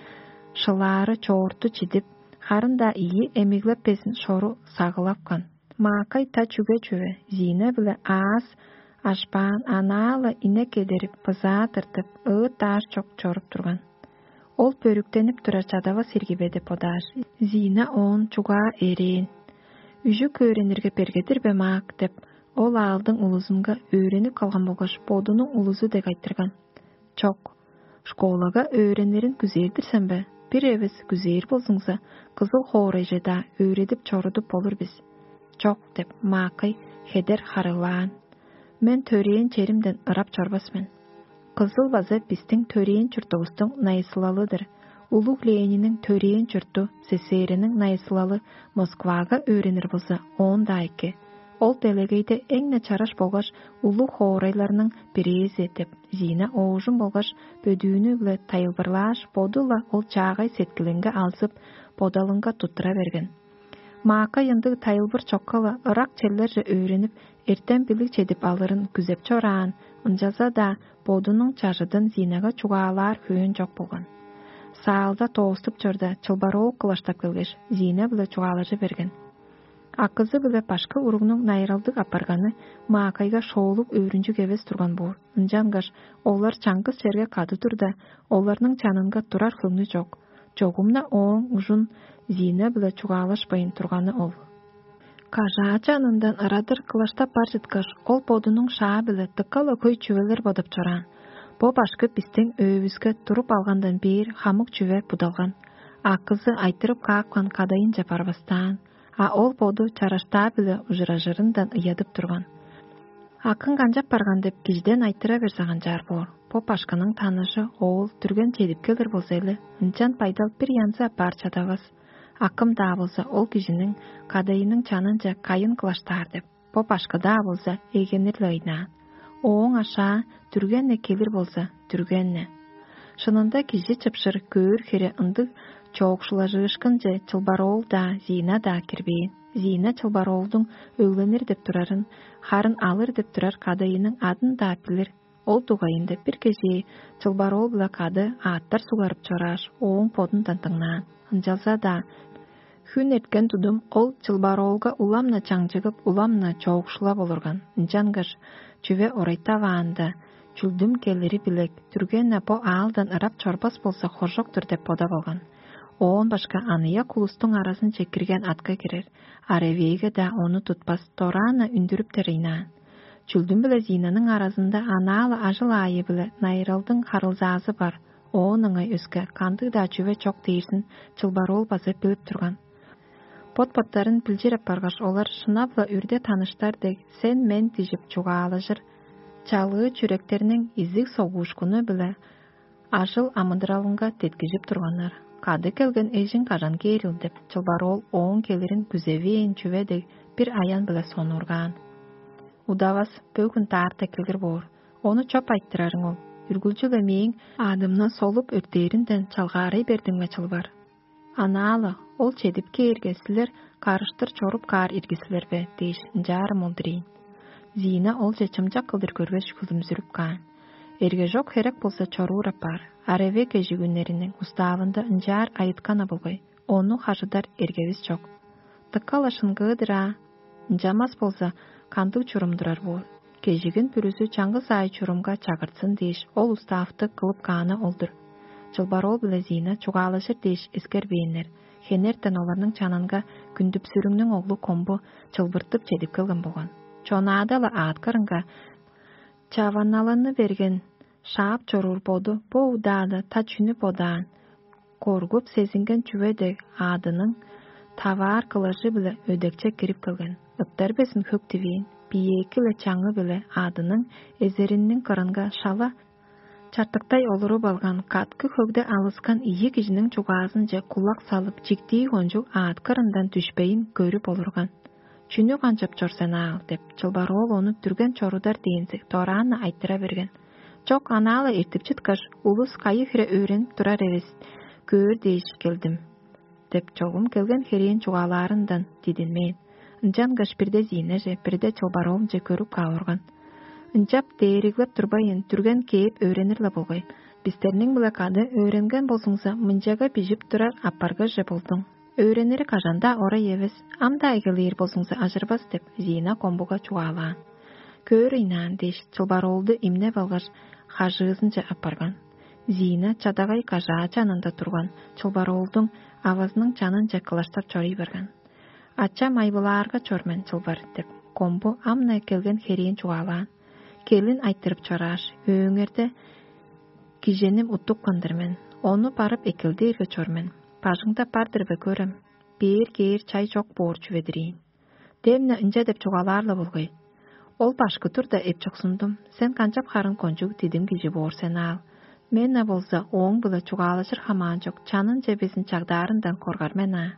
шылаары чоорту чидип, харын-даа ийи эмиглеп безин шору сагылапкан. Маакай та чүге чүве, Зина-биле аас ашпаан, анаа-ла инек эдерип, бызаа тыртып, ыыт-даш чок чоруп турган. Ол бөрүктенип турар чадавас ирги бе деп бодааш, Зина оон чугаа эрээн. «Үжүк өөренирге бергедир бе, Маак?» — деп, ол аалдың улузунга өөренип калган болгаш, бодунуң улузу дег айтырган. «Чок. Школага өөренирин күзээр-дир сен бе? Бир эвес күзээр болзуңза, кызыл хоорайже-даа өөредип чорудуп болур бис». «Чок», — деп, Маакай хедер харыылаан. «Мен төрээн черимден ырап чорбас мен. Кызыл база бистиң төрээн чуртувустуң найысылалы-дыр. Улуг Лениниң төрээн чурту, СССР-ниң найысылалы Москвага өөренир болза, оон-даа эки. Ол делегейде эң-не чараш болгаш улуг хоорайларның бирээзи», — деп, Зина оожум болгаш бөдүүнү-биле тайылбырлааш, боду-ла ол чаагай сеткилинге алзып, бодалынга туттура берген. Маакай ындыг тайылбыр чокка-ла ырак черлерже өөренип, эртем-билиг чедип алырын күзеп чораан, ынчалза-даа бодунуң чажыдын Зинага чугаалаар хөөн чок болган. Саалда тооступ чорда, чылбар оок кылаштап келгеш, Зина-биле чугаалажы берген. Акызы-биле башкы уругнуң найыралдыг апарганы Маакайга шоолуг өөрүнчүг эвес турган боор. Ынчангаш олар чаңгыс черге кады турда, оларның чанынга турар хөңнү чок. Чогум-на ооң ужун Зина-биле чугаалашпайн турганы ол. Кажаа чанындан ырадыр кылаштап бар чыткаш, ол бодунуң шаа-биле дыка-ла хөй чүвелер бодап чораан. «Бо башкы бистиң өөвүске туруп алгандан бээр хамык чүве будалган. Акызы айтырып каапкан кадайынче барбастаан, а ол боду чараштаа-биле ужуражырындан ыядып турган». Акың канчап барган деп кижиден айтыра берзе, канчаар боор? Бо башкының таныжы оол дүрген чедип келир болза-ла, ынчан байдал бир янзы апаар чадавас. Акым-даа болза, ол кижиниң кадайының чанынче кайын кылаштаар деп, бо башкы-даа болза, эгенир-ле ыйнаан. Ооң ашаа дүрген-не келир болза, дүрген-не. Шынында, кижи чыпшыр көөр хире ындыг чоокшулажыышкынче чылбар оол-даа, Зина-даа кирбээн. Зина чылбар оолдуң өгленир деп турарын, харын алыр деп турар кадайының адын-даа билир. Ол дугайында бир кежээ чылбар оол-биле кады аъттар сугарып чорааш, ооң бодундан дыңнаан. Ынчалза-даа хүн эрткен тудум ол чылбар оолга улам-на чаңчыгып, улам-на чоокшулап олурган. Ынчангаш чүве орайтаваанда, чүлдүм келири билек, дүрген-не бо аалдан ырап чорбас болза, хоржок-тур деп бодап алган. Оон башка аныяк улустуң аразынче кирген атка кирер, а ревейге-даа ону тутпас, дораан-на үндүрүптер ыйнаан. Чүлдүм биле Зинаның аразында анаа-ла ажыл аайы-биле найыралдың харылзаазы бар, оон ыңай өске кандыг-даа чүве чок дээрзин чылбар оол база билип турган. Бот-боттарын билчир апаргаш, олар шынап-ла үрде таныштар дег, сен-мен дижип чугаалажыр, чалыы чүректерниң изиг согуушкуну-биле ажыл амыдыралынга деткижип турганнар. «Кады келген эжиң кажан кээрил?» — деп, чылбар оол ооң келирин күзевээн чүве дег бир аян-биле сонуургаан. «Удавас, бөгүн даарта келир боор. Ону чоп айтырарың ол. Үргүлчү-ле мээң аадымны солуп өртээринден чалгаарай бердиң бе, чылбар?» «Анаа-ла, ол чедип кээрге, силер карыштыр чоруп каар ирги силер бе?» — дээш, ынчаарым ол-дур ийин. Зина олче чымчак кылдыр көрбеш, хүлүмзүрүп каан. Эргежок херек болза, чоруур апаар, а ревей кежигүннериниң уставында ынчаар айытканы болгай, ону хажыдар эргевис чок. Дыка-ла шыңгыы-дыр аа. Ынчанмас болза, кандыг чурум турар боор? Кежигин бүрүзү чаңгыс аай чурумга чагыртсын дээш, ол уставты кылып кааны ол-дур. Чылбар оол биле Зина чугаалажыр дээш эскербээннер. Хенертен оларның чанынга Күндүпсүрүңнүң оглу Комбу чылбыртып чедип келген болган. Чонаада-ла аът кырынга чаваналаны берген шаап чоруур боду бо удаада та чүнү бодаан? Коргуп сезинген чүве дег, аъдының таваар кылажы-биле өдекче кирип келген. Ыттар безин хөк дивээн, биеэки-ле чаңы-биле аъдының эзеринниң кырынга шала чартыктай олуруп алган, каткы хөгде алыскан ийи кижиниң чугаазынче кулак салып, чиктии кончуг аът кырындан дүшпейн көрүп олурган. Чүнү канчап чор сен аал?» — деп, чылбар оол ону дүрген чорудар дээнзиг дораан-на айтыра берген. «Чок, анаала эртип чыткаш, улус кайы хире өөренип турар эвес, көөр дээш келдим» — деп, чогум келген херээн чугаалаарындан дидинмээн. Ынчангаш бирде Зийнаже, бирде чылбар оолунче көрүп каап орган. «Ынчап дээриглеп турбайн, дүрген кээп өөренир-ле болгай. Бистерниң-биле кады өөренген болзуңза, мынчага бижип турар апаргыже болдуң. Өөренири кажан-даа орай эвес, ам-даа эгелээр болзуңза, ажырбас» — деп, Зина комбуга чугаалаан. «Көөр ыйнаан» — дээш, чылбар оолду имнеп алгаш, хажыызынче апарган. Зина чадагай кажаа чанында турган, чылбар оолдуң авазының чанынче кылаштап чорый барган. «Ачам айбылаарга чор мен, чылбар» — деп, комбу ам-на келген херээн чугаалаан. Келин айтырып чорааш: «Өөңерде киженим уттупкан-дыр мен, ону барып эккел дээрге чор мен. Бажыңда бар-дыр бе, көрем? Бээр кээр чай чок боор чүве-дир ийин». Демне ынча деп чугаалаар-ла болгай: «Ол башкы турда эпчоксундум, сен канчап харын кончуг дидим кижи боор сен аал? Мен-на болза ооң-биле чугаалажыр хамаан чок, чанынче безин чагдаарындан коргар мен аа.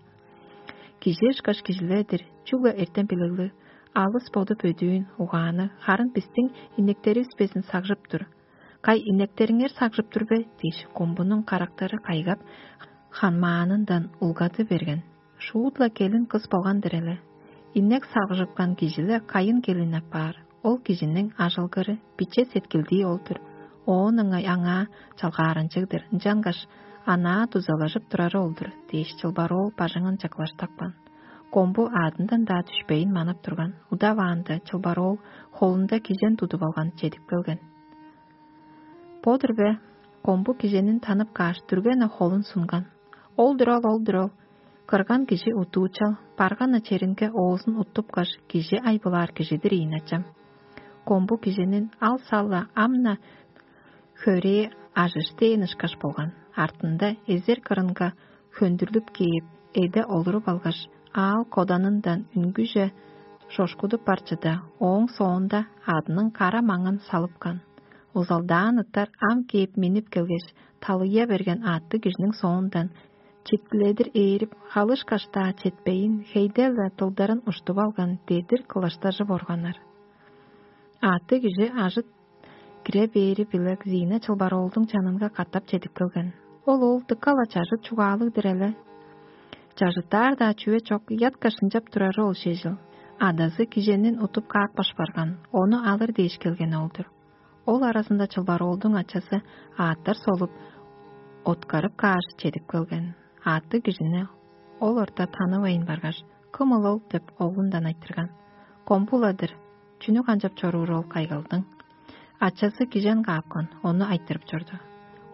Кижи ышкаш кижилер-дир, чүгле эртем билиглиг, алыс боду бөдүүн, угаанныг, харын бистиң инектеривис безин сагжып тур. Кай, инектериңер сагжып тур бе?» — дээш, комбунуң карактары кайгап, ханмаанындан улгады берген. Шуут-ла келин кыс болган-дыр эле. Инек сагжыпкан кижи-ле кайын келин апаар. Ол кижиниң ажылгыры, биче сеткилдии ол-дур. Оон ыңай аңаа чалгааранчыг-дыр, ынчангаш анаа дузалажып турары ол-дур дээш, чылбар оол бажыңынче кылаштапкан. Комбу аадындан-даа дүшпейн манап турган. Удаваанда чылбар оол холунда кижен тудуп алган чедип келген. Бо-дур бе? Комбу киженин танып кааш, дүрген-не холун сунган. Ол-дур ол, ол-дур ол. Кырган кижи удуучал, барган-на черинге оозун уттупкаш, кижи айбылаар кижи-дир ийин, ачам. Комбу киженин ал-сал-ла ам-на хөрээ ажыш дээн ышкаш болган. Артында эзер кырынга хөндүрлүп кээп, эде олуруп алгаш, аал коданындан үнгүже шошкудуп бар чыда, ооң соонда адының кара маңын салыпкан. Узалдаан ыттар ам кээп миннип келгеш, талыя берген аъттыг кижиниң соондан читкиледир ээрип, халыышкаш-даа четпейн, хейде-ле дылдарын уштуп алган дедир кылаштажып органнар. Аъттыг кижи ажыт кире бээри-биле Зина чылбар оолдуң чанынга катап чедип келген. Ол оол дыка-ла чажыт чугаалыг-дыр эле. Чажыттаар-даа чүве чок, ыяткаш ынчап турары ол шежил. Адазы киженин утуп каапкаш барган, ону алыр дээш келген ол-дур. Ол аразында чылбар оолдуң ачазы аъттар солуп, откарып кааш, чедип келген. Аъттыг кижини ол орта танывайн баргаш: «Кым ол ол?» — деп, оглундан айтырган. «Комбу-ла-дыр. Чүнү канчап чоруур ол, кайгалдың?» Ачазы кижен каапкан, ону айтырып чорду.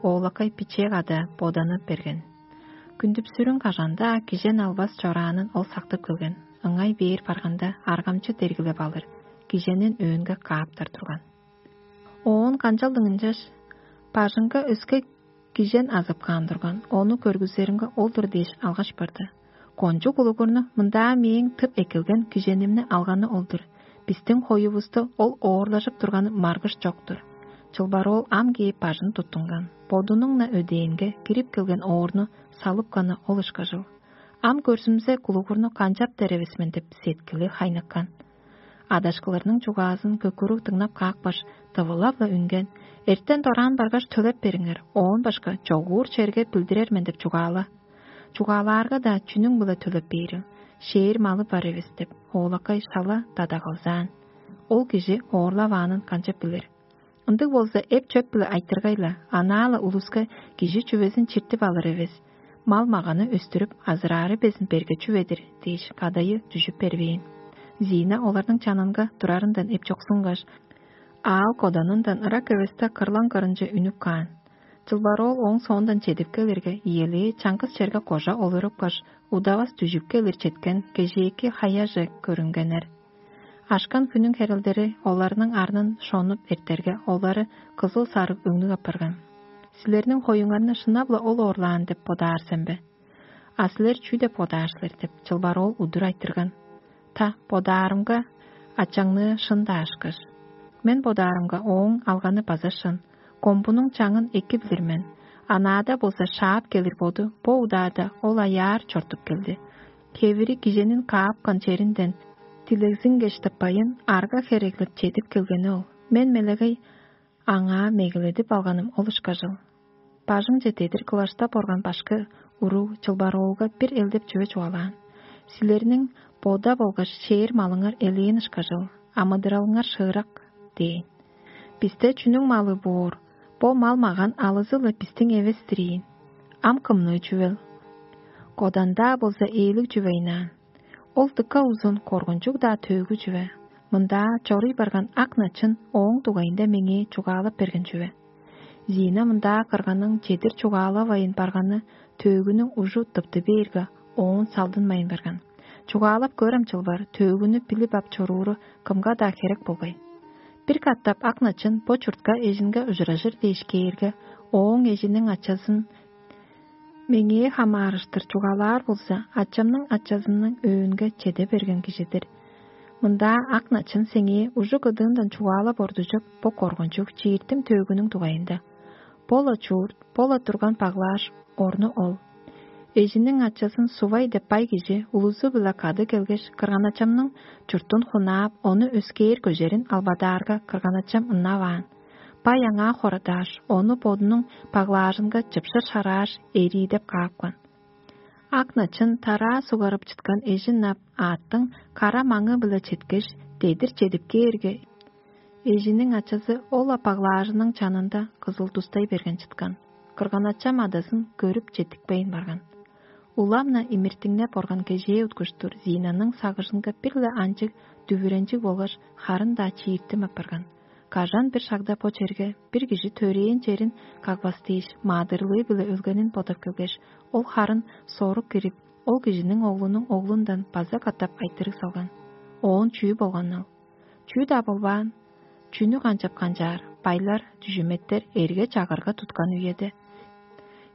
Оолакай бичээ када боданып берген. Күндүп-сүрүн кажан-даа кижен албас чораанын ол сактып келген. Ыңай бээр барганда, аргамчы дергилеп алыр, киженин өөнге кааптар турган. Оон канчалдың ынчаш бажыңга өске кижен азып каан турган, ону көргүзеринге ол-дур дээш алгаш барды. «Кончуг улугурну мындаа мээң тып эккелген киженимни алганы ол-дур. Бистиң хоювусту ол оорлажып турганы маргыш чок-тур». Чылбар оол ам кээп бажын туттунган, бодунуң-на өдээнге кирип келген оорну салыпканы ол ышкажыл. «Ам көрзүмзе, кулугурну канчап деревес мен» — деп, сеткили хайныккан. Адашкыларның чугаазын көкүрүг дыңнап каапкаш, тывылап-ла үнген: «Эртен дораан баргаш, төлеп бериңер, оон башка чогуур черге билдирер мен» — деп чугаала. «Чугаалаарга-даа, чүнүң-биле төлеп бээрил? Шээр малы бар эвес» — деп, оолакай шала дадагалзаан. Ол кижи оорлаваанын канчап билир? Ындыг болза, эп-чөп-биле айтыргай-ла, анаа-ла улуска кижи чүвезин чиртип алыр эвес, мал-маганы өстүрүп, азыраары безин берге чүве-дир дээш, кадайы дүжүп бербээн. Зина оларның чанынга турарындан эпчоксунгаш, аал коданындан ырак эвесте кырлаң кырынче үнүп каан. Чылбар оол ооң соондан чедип келирге, иелээ чаңгыс черге кожа олурупкаш, удавас дүжүп келир четкен кежээки хаяже көрүнгеннер. Ашкан хүннүң херелдери оларның арнын шонуп эртерге, олары кызыл-сарыг өңнүг апарган. «Силерниң хоюңарны шынап-ла ол оорлаан деп бодаар сен бе? А силер чүү деп бодаар силер?» — деп, чылбар оол удур айтырган. «Та, бодаарымга, ачаңныы шын-даа ышкаш. Мен бодаарымга, ооң алганы база шын. Комбунуң чаңын эки билир мен. Анаада болза шаап келир боду бо удаада ол аяар чортуп келди. Хевири киженин каапкан черинден Дилегзингеш тыппайын арга хереглеп чедип келгени ол. Мен мелегей аңаа мегеледип алганым ол ышкажыл. Бажыңче дедир кылаштап орган башкы уруг чылбар оолга бир элдеп чүве чугаалаан: «Силерниң бода болгаш шээр малыңар элээн ышкажыл, амыдыралыңар шыырак» – дээн. «Бисте чүнүң малы боор? Бо мал-маган алызы-ла бистиң эвес-тир ийин. Ам кымныы чүвел? Кодан-даа болза ээлиг чүве ыйнаан. Ол дыка узун коргунчуг-даа төөгү чүве. Мындаа чоруй барган ак начын ооң дугайында меңээ чугаалап берген чүве». Зина мындаа кырганың чедир чугаалавайн барганы төөгүнүң ужу тыпты бээрге, оон салдынмайн барган. Чугаалап көрем чылбар, төөгүнү билип ап чорууру кымга-даа херек болгай. Бир катап ак начын бо чуртка эжинге ужуражыр дээш кээрге, ооң эжиниң ачазын меңээ хамаарыштыр чугаалаар болза, ачамның ачазының өөнге чеде берген кижи-дир. Мындаа ак начын сеңээ ужу кыдыындан чугаалап ордужуп, бо коргунчуг чииртим төөгүнүң дугайында. Бо-ла чуурт, бо-ла турган баглааш, орну ол. Эжиниң ачазын Сувай деп бай кижи улузу-биле кады келгеш, кырганачамның чуртун хунаап, ону өскээр көжерин албадаарга, кырганачам ынаваан. Бай аңаа хорадааш, ону бодунуң баглаажынга чыпшыр шарааш, эриидеп каапкан. Ак начын тараа сугарып чыткан эжин ап, аъттың кара маңы-биле четкеш, дедир чедип кээрге, эжиниң ачазы ол-ла баглаажының чанында кызыл тустай берген чыткан. Кырган-ачам адасын көрүп четтикпейн барган. Улам-на имиртиңнеп орган кежээ уткуштур Зинаның сагыжынга бир-ле анчыг дүвүренчиг болгаш харын-даа чииртим апарган. Кажан бир шагда бо черге бир кижи төрээн черин кагбас дээш, маадырлыы-биле өлгенин бодап келгеш, ол харын сорук кирип, ол кижиниң оглунуң оглундан база катап айтырыг салган. Оон чүү болганыл? Чүү-даа болбаан. Чүнү канчап канчаар, байлар, дүжүметтер эрге чагырга туткан үеде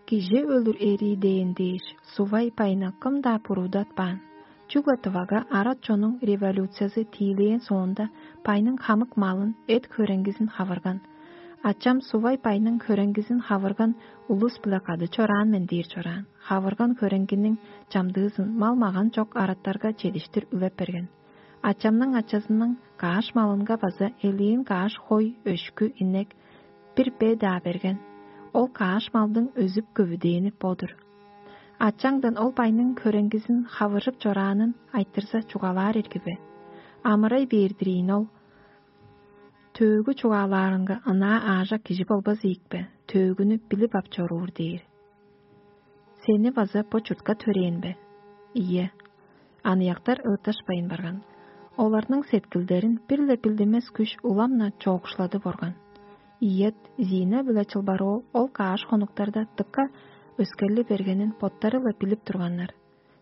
кижи өлүр эрии дээн дээш, Сувай байны кым-даа буруудатпаан. Чүгле Тывага арат чонуң революциязы тиилээн соонда, байның хамык малын, эт-хөреңгизин хавырган. Ачам Сувай байның хөреңгизин хавырган улус-биле кады чораан мен дээр чораан. Хавырган хөреңгиниң чамдыызын мал-маган чок араттарга чедиштир үлеп берген. Ачамның ачазының кааш малынга база элээн кааш хой, өшкү, инек, бир бе-даа берген. Ол кааш малдың өзүп көвүдээни бо-дур. Ачаңдан ол байның хөреңгизин хавыржып чораанын айтырза, чугаалаар ирги бе? Амырай бээр-дир ийин ол. Төөгү чугаалаарынга ынаа аажак кижи болбас ийик бе? Төөгүнү билип ап чоруур дээр. Сени база бо чуртка төрээн бе? Ийе. Аныяктар ыытташпайн барган. Оларның сеткилдерин бир-ле билдимес күш улам-на чоокшуладып орган. Ийет, Зина биле Чылбар-оол ол кааш хонуктарда дыка өскерли бергенин боттары-ла билип турганнар.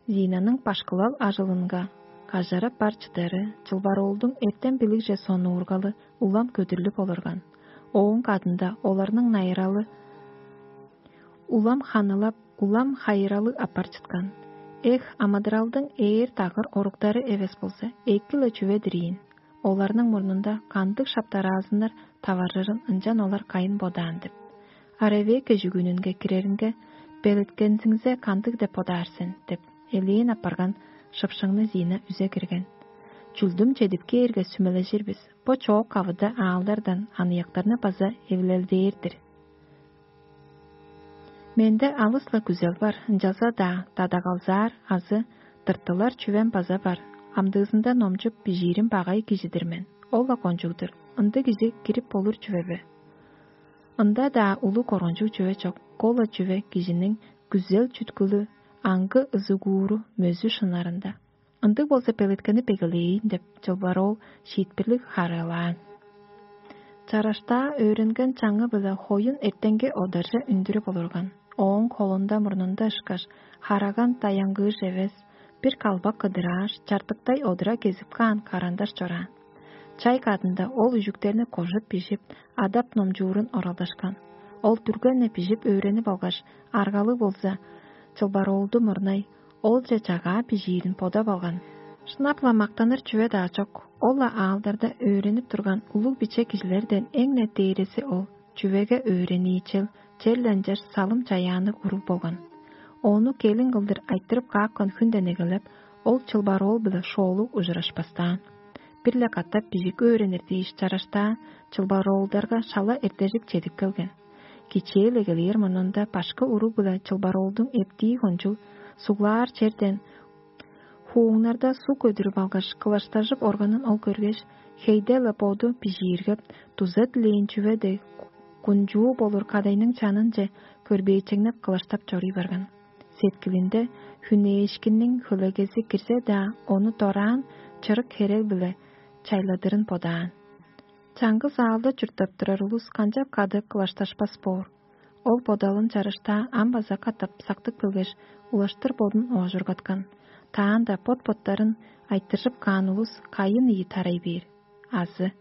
Зинаның башкылал ажылынга кажарап бар чыдары, Чылбар-оолдуң эртем билигже сонуургалы улам көдүрлүп олурган. Ооң кадында оларның найыралы улам ханылап, улам хайыралы апар чыткан. Эх, амыдыралдың ээр дагыр оруктары эвес болза, эки-ле чүве-дир ийин. Оларның мурнунда кандыг шаптараазыннар таваржырын ынчан олар кайын бодаан деп. А Ревекка чүгүнүнге киреринге: «Белеткензиңзе кандыг деп бодаар сен?» – деп, элээн апарган шыпшыңны Зина үзе кирген. «Чүлдүм чедип кээрге, сүмележир бис. Бо чоок кавыда аалдардан аныяктарны база эвилелдээр-дир. Менде алыс-ла күзел бар, ынчалза-даа дадагалзаар азы тыртылар чүвем база бар. Амдыызында номчуп бижиирим багай кижи-дир мен. Ол-ла кончуг-дур. Ындыг кижи кирип болур чүве бе? Ында-даа улуг коргунчуг чүве чок. Ол-ла чүве кижиниң күзел-чүткүлү, аңгы ызыгууру, мөзү-шынарында. Ындыг болза, белеткенип эгелээйн» – деп, Чылбар-оол шиитпирлиг харыылаан. Чараштаа өөренген чаңы-биле хоюн эртенге одарже үндүрүп олурган. Ооң холунда-мурнунда ышкаш хараган даянгыыш эвес, бир калбак кыдырааш, чартыктай одура кезип каан карандаш чораан. Чай кадында ол үжүктерни кожуп бижип, адап номчуурун оралдашкан. Ол дүрген-не бижип өөренип алгаш, аргалыг болза, Чылбар-оолду мурнай, олче чагаа бижиирин бодап алган. Шынап-ла мактаныр чүве-даа чок. Ол-ла аалдарда өөренип турган улуг-биче кижилерден эң-не дээреси ол. Чүвеге өөрениичел, черле ынчаш салым-чаяанныг уруг болган. Ону келин кылдыр айтырып каапкан хүнден эгелеп, Ол чылбар оол-биле шоолуг ужурашпастаан. Бир-ле катап бижик өөренир дээш чараштаа чылбар оолдарга шала эртежик чедип келген. Кичээ-ле келээр мурнунда башкы уруг-биле чылбар оолдуң эптии кончуг суглаар черден хууңнарда суг көдүрүп алгаш, кылаштажып органын ол көргеш, хейде-ла боду бижииргеп, дуза дилээн чүве дег кунчуу болур кадайның чанынче көрбээчеңнеп кылаштап чоруй барган. Сеткилинде хүнээшкинниң хөлегези кирзе-даа, ону дораан чырык херел-биле чайладырын бодаан. Чаңгыс аалда чурттап турар улус канчап кады кылашташпас боор? Ол бодалын чарыштаа ам база катап сактып келгеш, улаштыр бодун оожургаткан. Таанда бот-боттарын айтыржып каан улус кайын ийи тарай бээр. Азы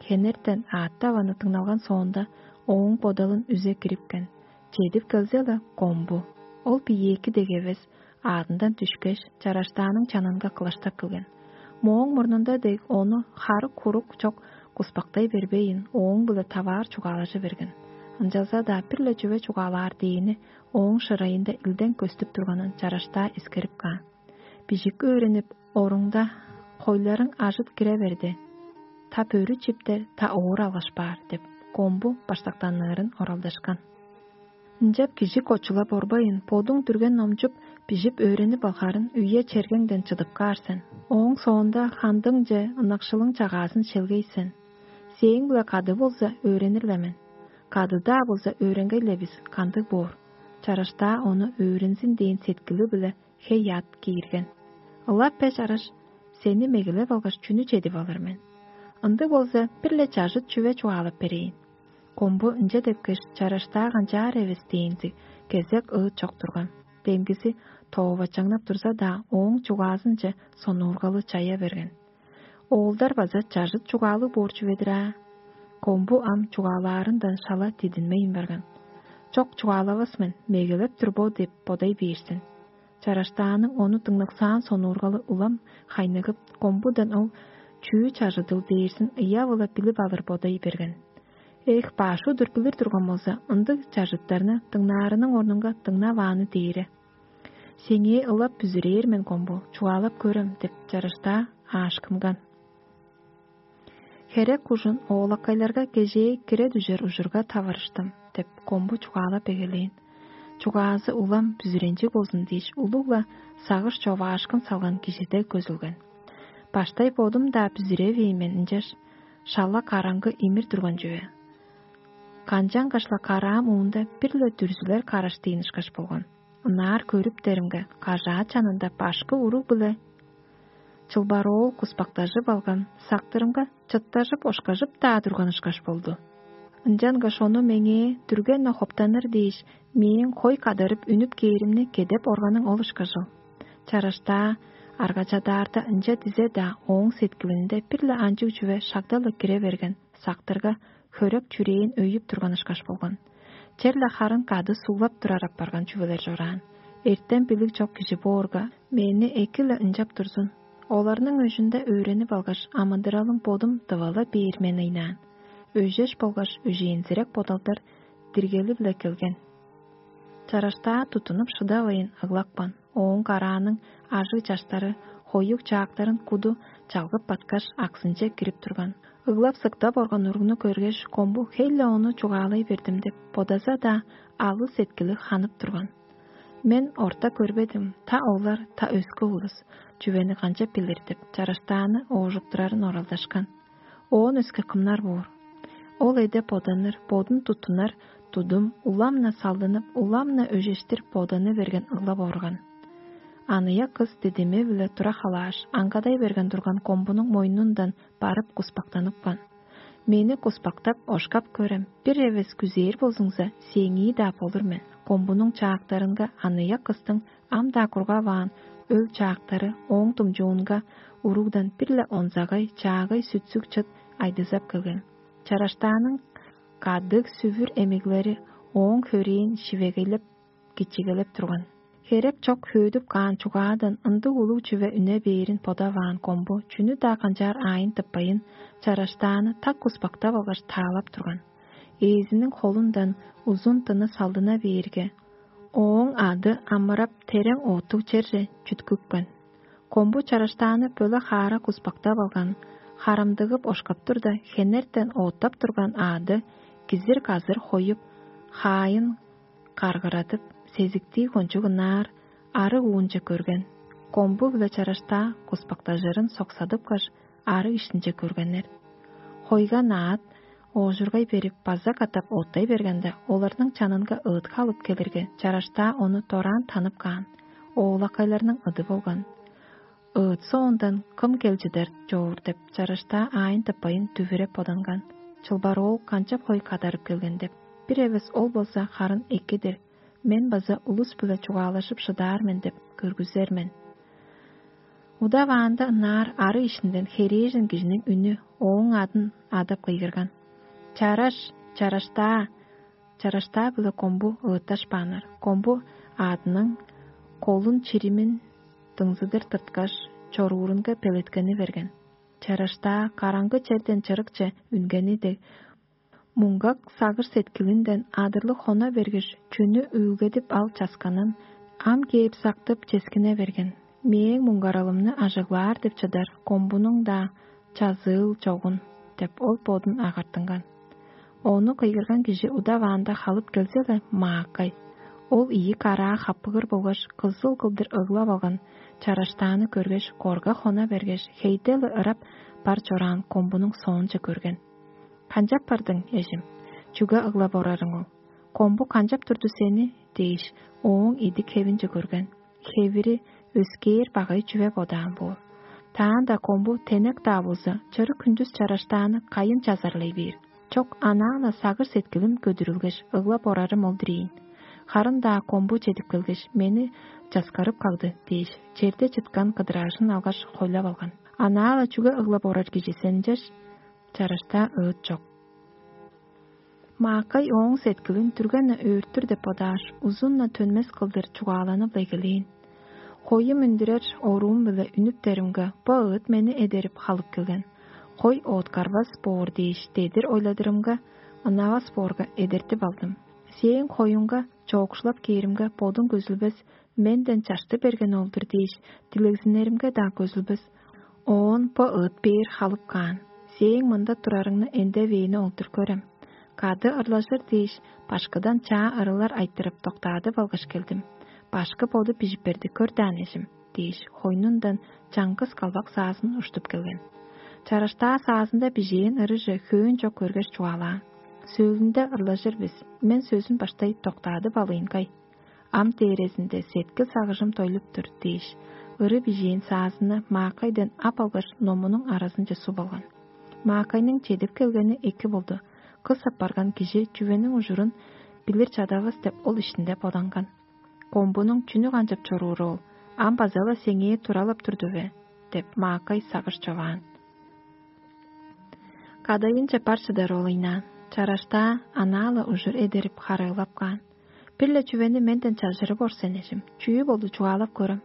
хенертен аъттап аны дыңналган соонда, ооң бодалын үзе кирипкен. Чедип келзе-ла, комбу. Ол бийээки дег эвес, аадындан дүшкеш, чараштааның чанынга кылаштап келген. Мооң мурнунда дег ону харык-хурук чок куспактай бербейн, ооң-биле таваар чугаалажы берген. Ынчалза-даа бир-ле чүве чугаалаар дээни ооң шырайында илден көстүп турганын чараштаа эскерип каан. Бижик өөренип, оруңда хойларың ажыт кире берди. Та бөрү чиптер, та оор алгаш баар деп, комбу баштактанныырын оралдашкан. Ынчап кижи кочулап орбайын, бодуң дүрген номчуп, бижип өөренип алгарын үе чергеңден чыдып каар сен. Ооң соонда хандыңче ынакшылың чагаазын шелгей сен. Сээң-биле кады болза, өөренир-ле мен. Кады-даа болза, өөренгей-ле бис, кандыг боор. Чараштаа ону өөрензин дээн сеткили-биле хей-яат киирген. Ылап бе чараш, сени мегелеп алгаш, чүнү чедип алыр мен? Ындыг болза, бир-ле чажыт чүве чугаалап берейн. Комбу ынча депкеш, чараштаа канчаар эвес дээнзиг кезек ыыт чок турган. Демгизи тоовачаңнап турза-даа, ооң чугаазынче сонуургалы чая берген. Оолдар база чажыт чугаалыг боор чүве-дир аа. Комбу ам чугаалаарындан шала дидинмейн барган. Чок, чугаалавас мен, мегелеп тур бо деп бодай бээрзин. Чараштааның ону дыңнаксаан сонуургалы улам хайныгып, комбудан ол чүү чажыдыл дээрзин ыяв-ла билип алыр бодай берген. Эх, баш удур билир турган болза, ындыг чажыттарны дыңнаарының орнунга дыңнавааны дээре. Сеңээ ылап бүзүрээр мен, комбу, чугаалап көрем деп чарыштаа аашкынган. Херек кужун оолакайларга кежээ кире дүжер ужурга таварыштым деп, комбу чугаалап эгелээн. Чугаазы улам бүзүренчиг болзун дээш, улуг-ла сагыш човаашкын салган кижиде көзүлген. Баштай бодум-даа бүзүревээн мен ынчаш, шала караңгы имир турган чүве. Канчангаш-ла караам уунда бир-ле дүрзүлер караштыын ышкаш болган. Ынаар көрүптеримге, кажаа чанында башкы уруг-биле чылбароол куспактажып алган, сактырымга чыттажып-ошкажып-даа турган ышкаш болду. Ынчангаш ону меңээ дүрген-не хоптаныр дээш, мээң хой кадарып үнүп кээримни кедеп органың ол ышкажыл. Чараштаа аргачадаарда ынча дизе-даа, ооң сеткилинде бир-ле анчыг чүве шагда-ла кире берген, сактырга хөрек чүрээн өйүп турган ышкаш болган. Черле харын кады суглап турар апарган чүвелер чораан. Эртем билиг чок кижи боорга, мени эки-ле ынчап турзун. Оларның өжүнде өөренип алгаш, амыдыралым бодум дывала бээр мен ыйнаан. Өжеш болгаш өжээнзирек бодалдар диргели-биле келген. Чараштаа туттунуп шыдавайн ыглапкан. Ооң карааның ажыг чаштары хоюг чаактарын куду чалгып баткаш, аксынче кирип турган. Ыглап-сыктап орган уругну көргеш, комбу хей-ле ону чугаалай бердим деп бодаза-даа, алыс сеткили ханып турган. Мен орта көрбедим, та олар, та өске улус чүвени канчап билир деп, чараштааны оожуктурарын оралдашкан. Оон өске кымнар боор? Ол эде боданыр, бодун туттунар тудум улам-на салдынып, улам-на өжештир боданы берген ыглап орган. Аныяк кыс дидими-биле тура халааш, аңгадай берген турган комбунуң мойнундан барып куспактаныпкан. Мени куспактап, ошкап көрем, бир эвес күзээр болзуңза, сээңии-даа болур мен. Комбунуң чаактарынга аныяк кыстың ам-даа кургаваан өл чаактары ооң думчуунга уругдан бир-ле онзагай, чаагай сүтсүг чыт айдызап келген. Чараштааның кадыг сүвүр эмиглери ооң хөрээн шивегейлеп, кичигелеп турган. Херек чок хөөдүп каан чугаадан ындыг улуг чүве үне бээрин бодаваан комбу чүнү-даа канчаар аайын тыппайын, чараштааны так куспактап алгаш таалап турган. Ээзиниң холундан узун тыны салдына бээрге, ооң ады амырап, терең оттуг черже чүткүпкен. Комбу чараштааны бөле хаара куспактап алган, харамдыгып ошкап турда, хенертен оттап турган аъды кизир-казыр хоюп, хаайын каргырадып, сезиктии кончуг ынаар арыг уунче көрген. Комбу-биле чараштаа куспактажырын соксадыпкаш, арыг иштинче көргеннер. Хойга наат оожургай берип, база катап оттай бергенде, оларның чанынга ыытка алып келирге, чараштаа ону дораан танып каан, оолакайларның ыды болган. Ыыт соондан кым кел чыдар чоор деп, чараштаа аайын тыппайын дүвүреп боданган. Чылбар оол канчап хой кадарып келген деп. Бир эвес ол болза харын экидир. Мен база улус-биле чугаалашып шыдаар мен деп көргүзер мен. Удаваанда ынаар ары ишинден херээжен кижиниң үнү ооң адын адап кыйгырган: «Чараш, чараштаа!» Чараштаа-биле комбу ыытташпааннар. Комбу аадының колун чиримин дыңзыдыр тырткаш, чоруурунга белеткени берген. Чараштаа караңгы черден чырыкче үнгени дег, муңгак сагыш-сеткилинден адырлыг хона бергеш, чүнү үүлгедип ал часканын ам кээп сактып ческине берген. «Мээң муңгаралымны ажыглаар деп чыдар комбунуң-даа чазыыл чогун» — деп, ол бодун агартынган. Ону кыйгырган кижи удаваанда халып келзе-ле, маакай. Ол ийи караа хаппыгыр болгаш кызыл кылдыр ыглап алган чараштааны көргеш, корга хона бергеш, хейде-ле ырап бар чораан комбунуң соонче көрген. «Канчап бардың, эжим? Чүге ыглап орарың ол? Комбу канчап турду сени?» — дээш, ооң идик хевинче көрген. Хевири өскээр багай чүве бодаан боор. Таанда комбу тенек-даа болза, чырык хүндүс чараштааны кайын чазарлай бээр. Чок, анаа-ла сагыш-сеткилим көдүрүлгеш, ыглап орарым ол-дур ийин. Харын-даа комбу чедип келгеш, мени часкарып кагды дээш, черде чыткан кыдыраажын алгаш, хойлап алган. Анаа-ла чүге ыглап орар кижи сен ынчаш? Чараштаа ыыт чок. Маакай ооң сеткилин дүрген-не өөрттүр деп бодааш, узун-на төнмес кылдыр чугааланып-ла эгелээн. Хою мөндүрер оруум-биле үнүптеримге, бо ыыт мени эдерип халып келген. Хой ооткарбас боор дээш, дедир ойладырымга, ынавас боорга эдертип алдым. Сээң хоюңга чоокшулап кээримге, бодуң көзүлбес, менден чашты берген ол-дур дээш, дилегзиннеримге-даа көзүлбес. Оон бо ыыт бээр халып каан. Сээң мында турарыңны эндевээни ол-дур көрем. Кады ырлажыр дээш, башкыдан чаа ырылар айтырып, доктаадып алгаш келдим. Башкы боду бижип берди, көр даан, эжим, — дээш, хойнундан чаңгыс калбак саазын уштуп келген. Чараштаа саазында бижээн ырыже хөөн чок көргеш чугаалаан. Сөөлүнде ырлажыр бис, мен сөзүн баштай доктаадып алыйн кай. Ам дээрезинде сеткил-сагыжым дойлуп тур дээш, ыры бижээн саазынны маакайдан ап алгаш, номунуң аразынче суп алган. Маакайның чедип келгени эки болду. Кыс апарган кижи чүвениң ужурун билир чадавас деп ол иштинде боданган. Комбунуң чүнү канчап чорууру ол, ам база-ла сеңээ туралап турду бе? — деп маакай сагыш човаан. Кадайынче бар чыдар ол ыйнаан. Чараштаа анаа-ла ужур эдерип харыылап каан. Бир-ле чүвени менден чажырып ор сен, эжим. Чүү болду, чугаалап көрем.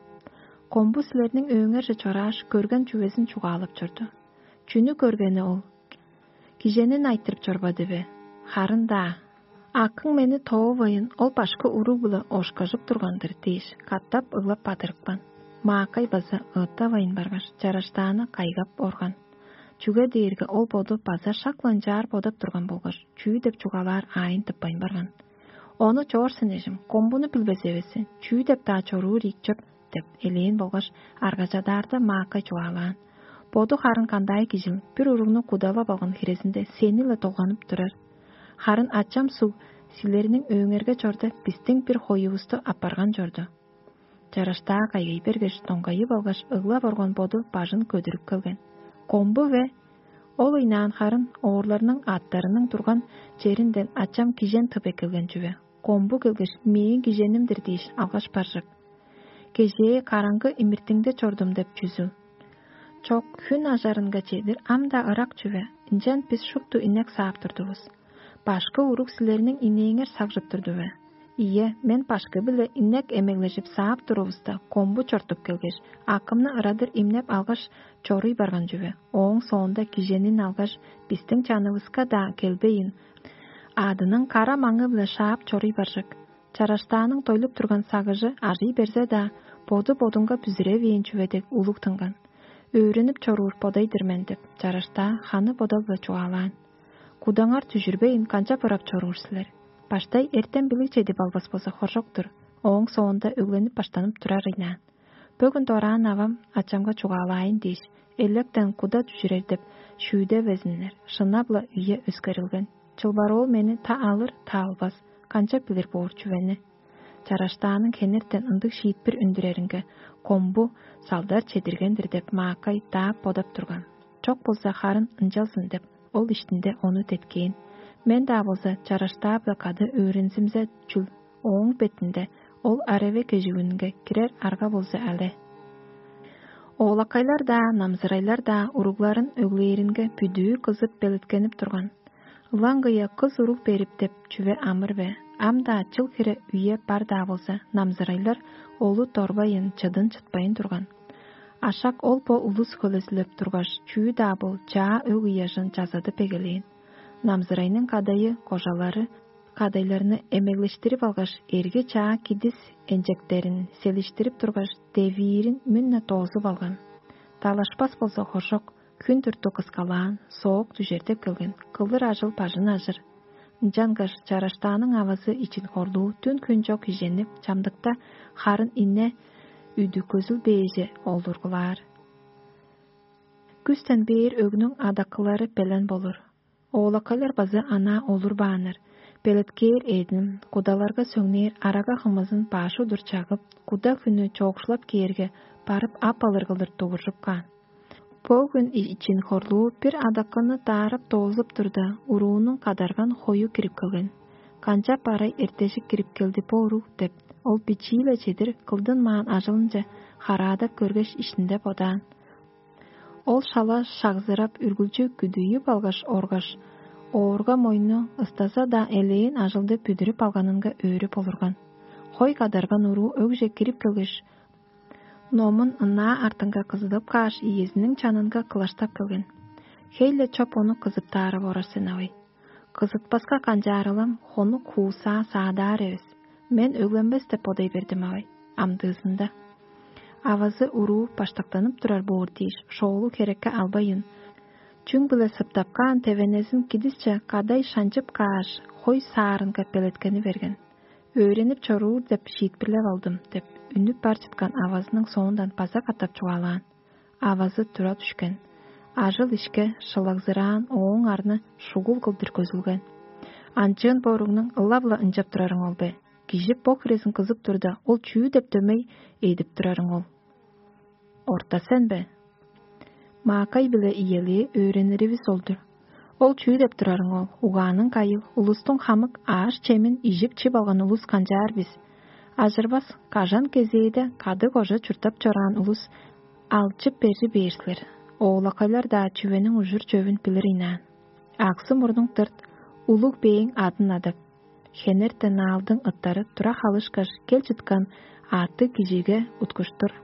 Комбу силерниң өөңерже чорааш, көрген чүвезин чугаалап чорду. Чүнү көргени ол? Киженин айтырып чорбады бе? Харын-даа. Акың мени тоовайын, ол башкы уруг-биле ошкажып турган-дыр дээш, катап ыглап бадырыпкан. Маакай база ыыттавайн баргаш, чараштааны кайгап орган. Чүге дээрге ол боду база шак-ла ынчаар бодап турган болгаш, чүү деп чугаалаар аайын тыппайн барган. Ону чоор сен, эжим, комбуну билбес эвес сен, чүү деп-даа чоруур ийик чоп деп элээн болгаш, аргажадаарда маакай чугаалаан. Боду харын кандай кижил, бир уругну кудалап алган хирезинде сени-ле долганып турар. Харын ачам суг, силерниң өөңерге чорда бистиң бир хоювусту аппарган чорду. Чараштаа кайгай бергеш, доңгайып алгаш, ыглап орган боду бажын көдүрүп келген. Комбу бе? Ол ыйнаан харын оорларның аъттарының турган черинден ачам кижен тып эккелген чүве. Комбу келгеш, мээң киженим-дир дээш, алгаш баржык. Кежээ караңгы имиртиңде чордум деп чүзүл. Чок, хүн ажарынга чедир ам-даа ырак чүве, ынчан бис шупту инек саап турдувус. Башкы уруг силерниң инээңер сагжып турду бе? Ийе, мен башкы-биле инек эмеглежип саап турувуста, комбу чортуп келгеш, акымны ырадыр имнеп алгаш, чоруй барган чүве. Ооң соонда киженин алгаш, бистиң чанывыска-даа келбейн, аъдының кара маңы-биле шаап чоруй баржык. Чараштааның дойлуп турган сагыжы ажый берзе-даа, боду-бодунга бүзүревээн чүве дег улуг тынган. «Өөренип чоруур бодай-дыр мен» – деп, чараштаа ханы бодал-биле чугаалаан: «Кудаңар дүжүрбейн, канчап ырап чоруур силер? Баштай эртем билиг чедип албас болза, хоржок-тур, ооң соонда өгленип баштанып турар ыйнаан. Бөгүн дораан авам ачамга чугаалаайн дээш, электен куда дүжүрер деп шүүдевезиннер, шынап-ла үе өскерилген. Чылбар ол мени та алыр, та албас, канчап билир боор чүвени?» Чараштааның хенертен ындыг шиитпир үндүреринге, комбу салдар чедирген-дир деп, маакай даап бодап турган. Чок болза, харын ынчалзын деп, ол иштинде ону деткээн. Мен-даа болза, чараштаа-биле кады өөрензимзе чүл, ооң бетинде ол ареве кежигүнүнге кирер арга болза але. Оолакайлар-даа, намзырайлар-даа уругларын өглээринге бүдүү кызып белеткенип турган. Ылаңгыя кыс уруг берип деп чүве амыр бе? Ам-даа чыл хире үе бар-даа болза, намзырайлар олу дорбайын чыдын чытпайн турган. Ашак ол бо улус хөлезилеп тургаш, чүү-даа бол чаа өг ыяжын чазадып эгелээн. Намзырайның кадайы кожалары кадайларны эмеглештирип алгаш, эрги чаа кидис энчектерин селиштирип тургаш, девиирин мүн-не доозуп алган. Далашпас болза хоржок, хүн турту кыскалаан, соок дүжердеп келген, кылыр ажыл бажын ажыр. Ынчангаш чараштааның авазы ичин хорлуу дүн-хүн чок киженип, чамдыкта харын ине үдү көзүлбээже олургулаар. Күстен бээр өгнүң адакылары белен болур. Оолакайлар база анаа олурбааннар. Белеткээр эъдин, кудаларга сөңнээр арага хымызын баш удур чагып, куда хүнү чоокшулап кээрге, барып ап алыр кылдыр дугуржуп каан. Бо хүн ичин хорлуу бир адакыны даарап доозуп турда, уруунуң кадарган хою кирип келген. «Канчап арай эртежик кирип келди бо уруг?» – деп, ол бичии-ле чедир кылдынмаан ажылынче хараадап көргеш, иштинде бодаан. Ол шала шагзырап, үргүлчү күдүйүп алгаш оргаш, оорга мойну ыстаза-даа элээн ажылды бүдүрүп алганынга өөрүп олурган. Хой кадарган уруу өгже кирип келгеш, номун ынаа артынга кызыдып кааш, иезиниң чанынга кылаштап келген. «Хей-ле чоп ону кызыптаарып орар сен, авай. Кызытпаска канчаарылам, хонук хуусаа саадаар эвес. Мен өгленмес деп бодай бердим, авай, амдыызында». Авазы уруу баштактанып турар боор дээш, шоолу херекке албайын, чүң-биле сыптап каан тевенезин кидисче кадай шанчып кааш, хой саарынга белеткени берген. «Өөренип чоруур деп шиитпирлеп алдым» – деп, үнүп бар чыткан авазының соондан база катап чугаалаан. Авазы тура дүшкен. Ажыл-ишке шылагзыраан, ооң арны шугул кылдыр көзүлген. «Анчыын боруңнуң ылап-ла ынчап турарың ол бе? Кижи бо хирезин кызып турда, ол чүү деп дөмей эдип турарың ол? Орта сен бе?» Маакай-биле иелээ өөрениривис ол-дур. «Ол чүү деп турарың ол? Угааның кайыл, улустуң хамык ааш-чемин ижип-чип алган улус канчаар бис? Ажырбас, кажан кезээде кады-кожа чурттап чораан улус алчып берри бээр силер. Оолакайлар-даа чүвениң ужур-чөвүн билир ыйнаан. Аксы-мурнуң дырт, улуг бээң адын адап, хенертен аалдың ыттары тура халышкаш, кел чыткан аъттыг кижиге уткуштур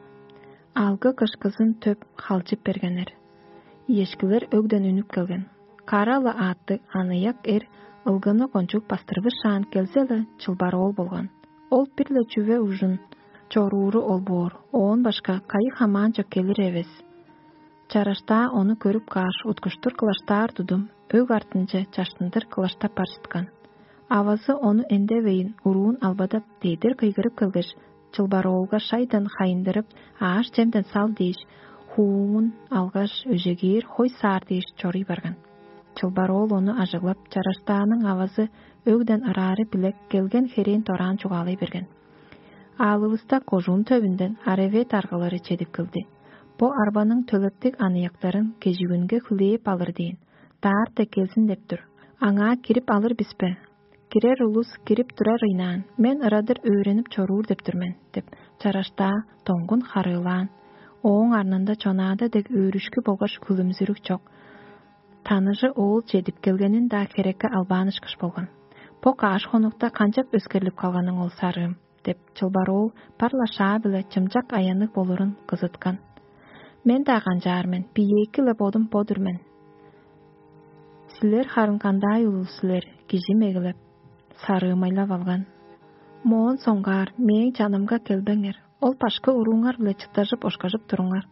алгы-кышкызын төп халчып бергеннер. Иешкилер өгден үнүп келген. Кара-ла аъттыг аныяк эр ылгыны кончуг бастырбышаан келзе-ле, чылбар оол болган. Ол бир-ле чүве ужун чорууру ол боор, оон башка кайы хамаанчок келир эвес. Чараштаа ону көрүп кааш, уткуштур кылаштаар тудум, өг артынче чаштындыр кылаштап бар чыткан. Авазы ону эндевейн, уруун албадап, дедир кыйгырып келгеш, чылбар оолга шайдан хайындырып, ааш-чемден сал дээш, хууңун алгаш, өжегээр хой саар дээш чоруй барган. Чылбар оол ону ажыглап, чараштааның авазы өгден ыраары билек келген херээн дораан чугаалай берген. Аалывыста кожуун төвүнден аревет аргалары чедип келди. Бо арбаның төлептиг аныяктарын кежигүнге хүлээп алыр дээн. Даарта келзин деп тур. Аңаа кирип алыр бис бе? Кирер улус кирип турар ыйнаан. Мен ырадыр өөренип чоруур деп тур мен, деп чараштаа доңгун харыылаан. Ооң арнында чонаада дег өөрүшкү болгаш хүлүмзүрүк чок. Таныжы оол чедип келгенин-даа херекке албаан ышкаш болган. Бо кааш хонукта канчап өскерлип калганың ол, сарыым? Деп, чылбар оол бар-ла шаа-биле чымчак аянныг болурун кызыткан. Мен-даа канчаар мен, биеэки-ле бодум бо-дур мен. Силер харын кандай улус силер, кижи мегелеп, сарыымайлап алган. Моон соңгаар мээң чанымга келбеңер, ол башкы урууңар-биле чыттажып ошкажып туруңар.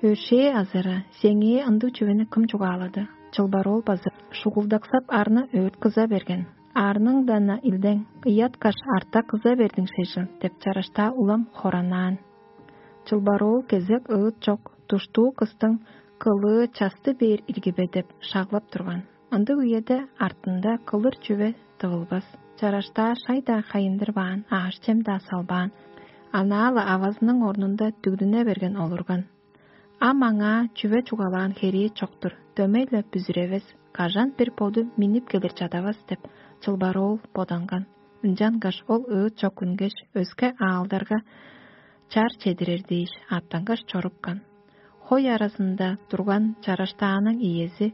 Өршээ азыра, сеңээ ындыг чүвени кым чугаалады? Чылбар ол база шугулдаксап арны өөрт кыза берген. Арныңдана илдең, ыяткаш арта кыза бердиң шежил деп чараштаа улам хоранаан. Чылбар ол кезек ыыт чок, душтуу кыстың кылыы часты бээр иргибе деп шаглап турган. Ындыг үеде артында кылыр чүве тывылбас. Чараштаа шай-даа хайындырбаан, аъш-чем-даа салбаан, анаа-ла авазының орнунда дүгдүне берген олурган. Ам аңаа чүве чугаалаан херээ чок-тур, дөмей-ле бүзүревес, кажан бир боду миннип келир чадавас деп чылбар ол боданган. Ынчангаш ол ыыт чок үнгеш, өске аалдарга чар чедирер дээш, аттангаш чорупкан. Хой аразында турган чараштааның иези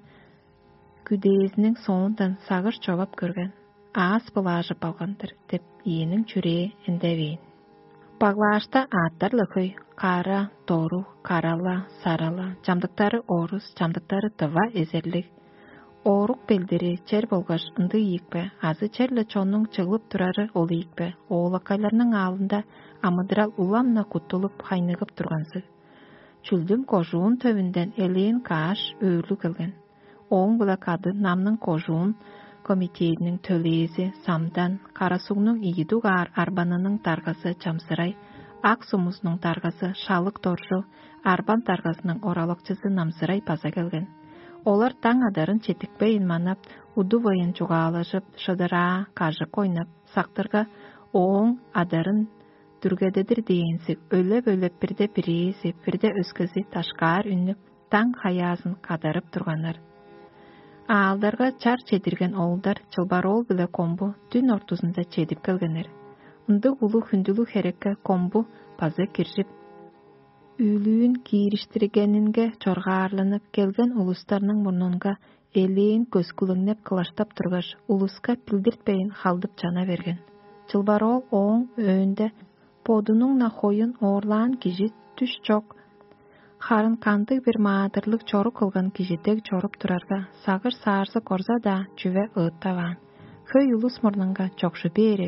күдээзиниң соондан сагыш човап көрген, аас былаажып алган-дыр деп иениң чүрээ эндевээн. Баглаашта аъттар-ла хөй: кара, доруг, карала, сарала, чамдыктары орус, чамдыктары дыва эзерлиг. Оорук белдири чер болгаш ындыг ийикпе, азы черле чоннуң чыглып турары ол ийикпе, оолакайларның аалында амыдырал улам-на куттулуп, хайныгып турганзыг. Чүлдүм кожуун төвүнден элээн кааш өөрлүг келген. Ооң-биле кады намның кожуун комитединиң төлээзи Самдан, Карасугнуң ийи дугаар арбанының даргазы Чамсырай, ак сумузунуң даргазы Шалык Доржу, арбан даргазының оралакчызы Намсырай база келген. Олар даң адарын четтикпейн манап, удувайын чугаалажып, шыдыраа, кажык ойнап, сактырга, ооң адарын дүргедедир дээнзиг, өлеп-өлеп бирде бирээзи, бирде өскези дашкаар үннүп, даң хаяазын кадарып турганнар. Аалдарга чар чедирген оолдар чылбар оол биле комбу дүн ортузунда чедип келгеннер. Ындыг улуг хүндүлүг херекке комбу база киржип, үүлүүн киириштиргенинге чоргаарланып келген улустарның мурнунга элээн көскүлеңнеп кылаштап тургаш, улуска билдиртпейн халдып чана берген. Чылбар оол ооң өөнде бодунуң-на хоюн оорлаан кижи дүш чок, харын кандыг-бир маадырлыг чорук кылган кижи дег чоруп турарга, сагыш-саарзы корза-даа чүве ыыттаваан. Хөй улус мурнунга чокшу бээр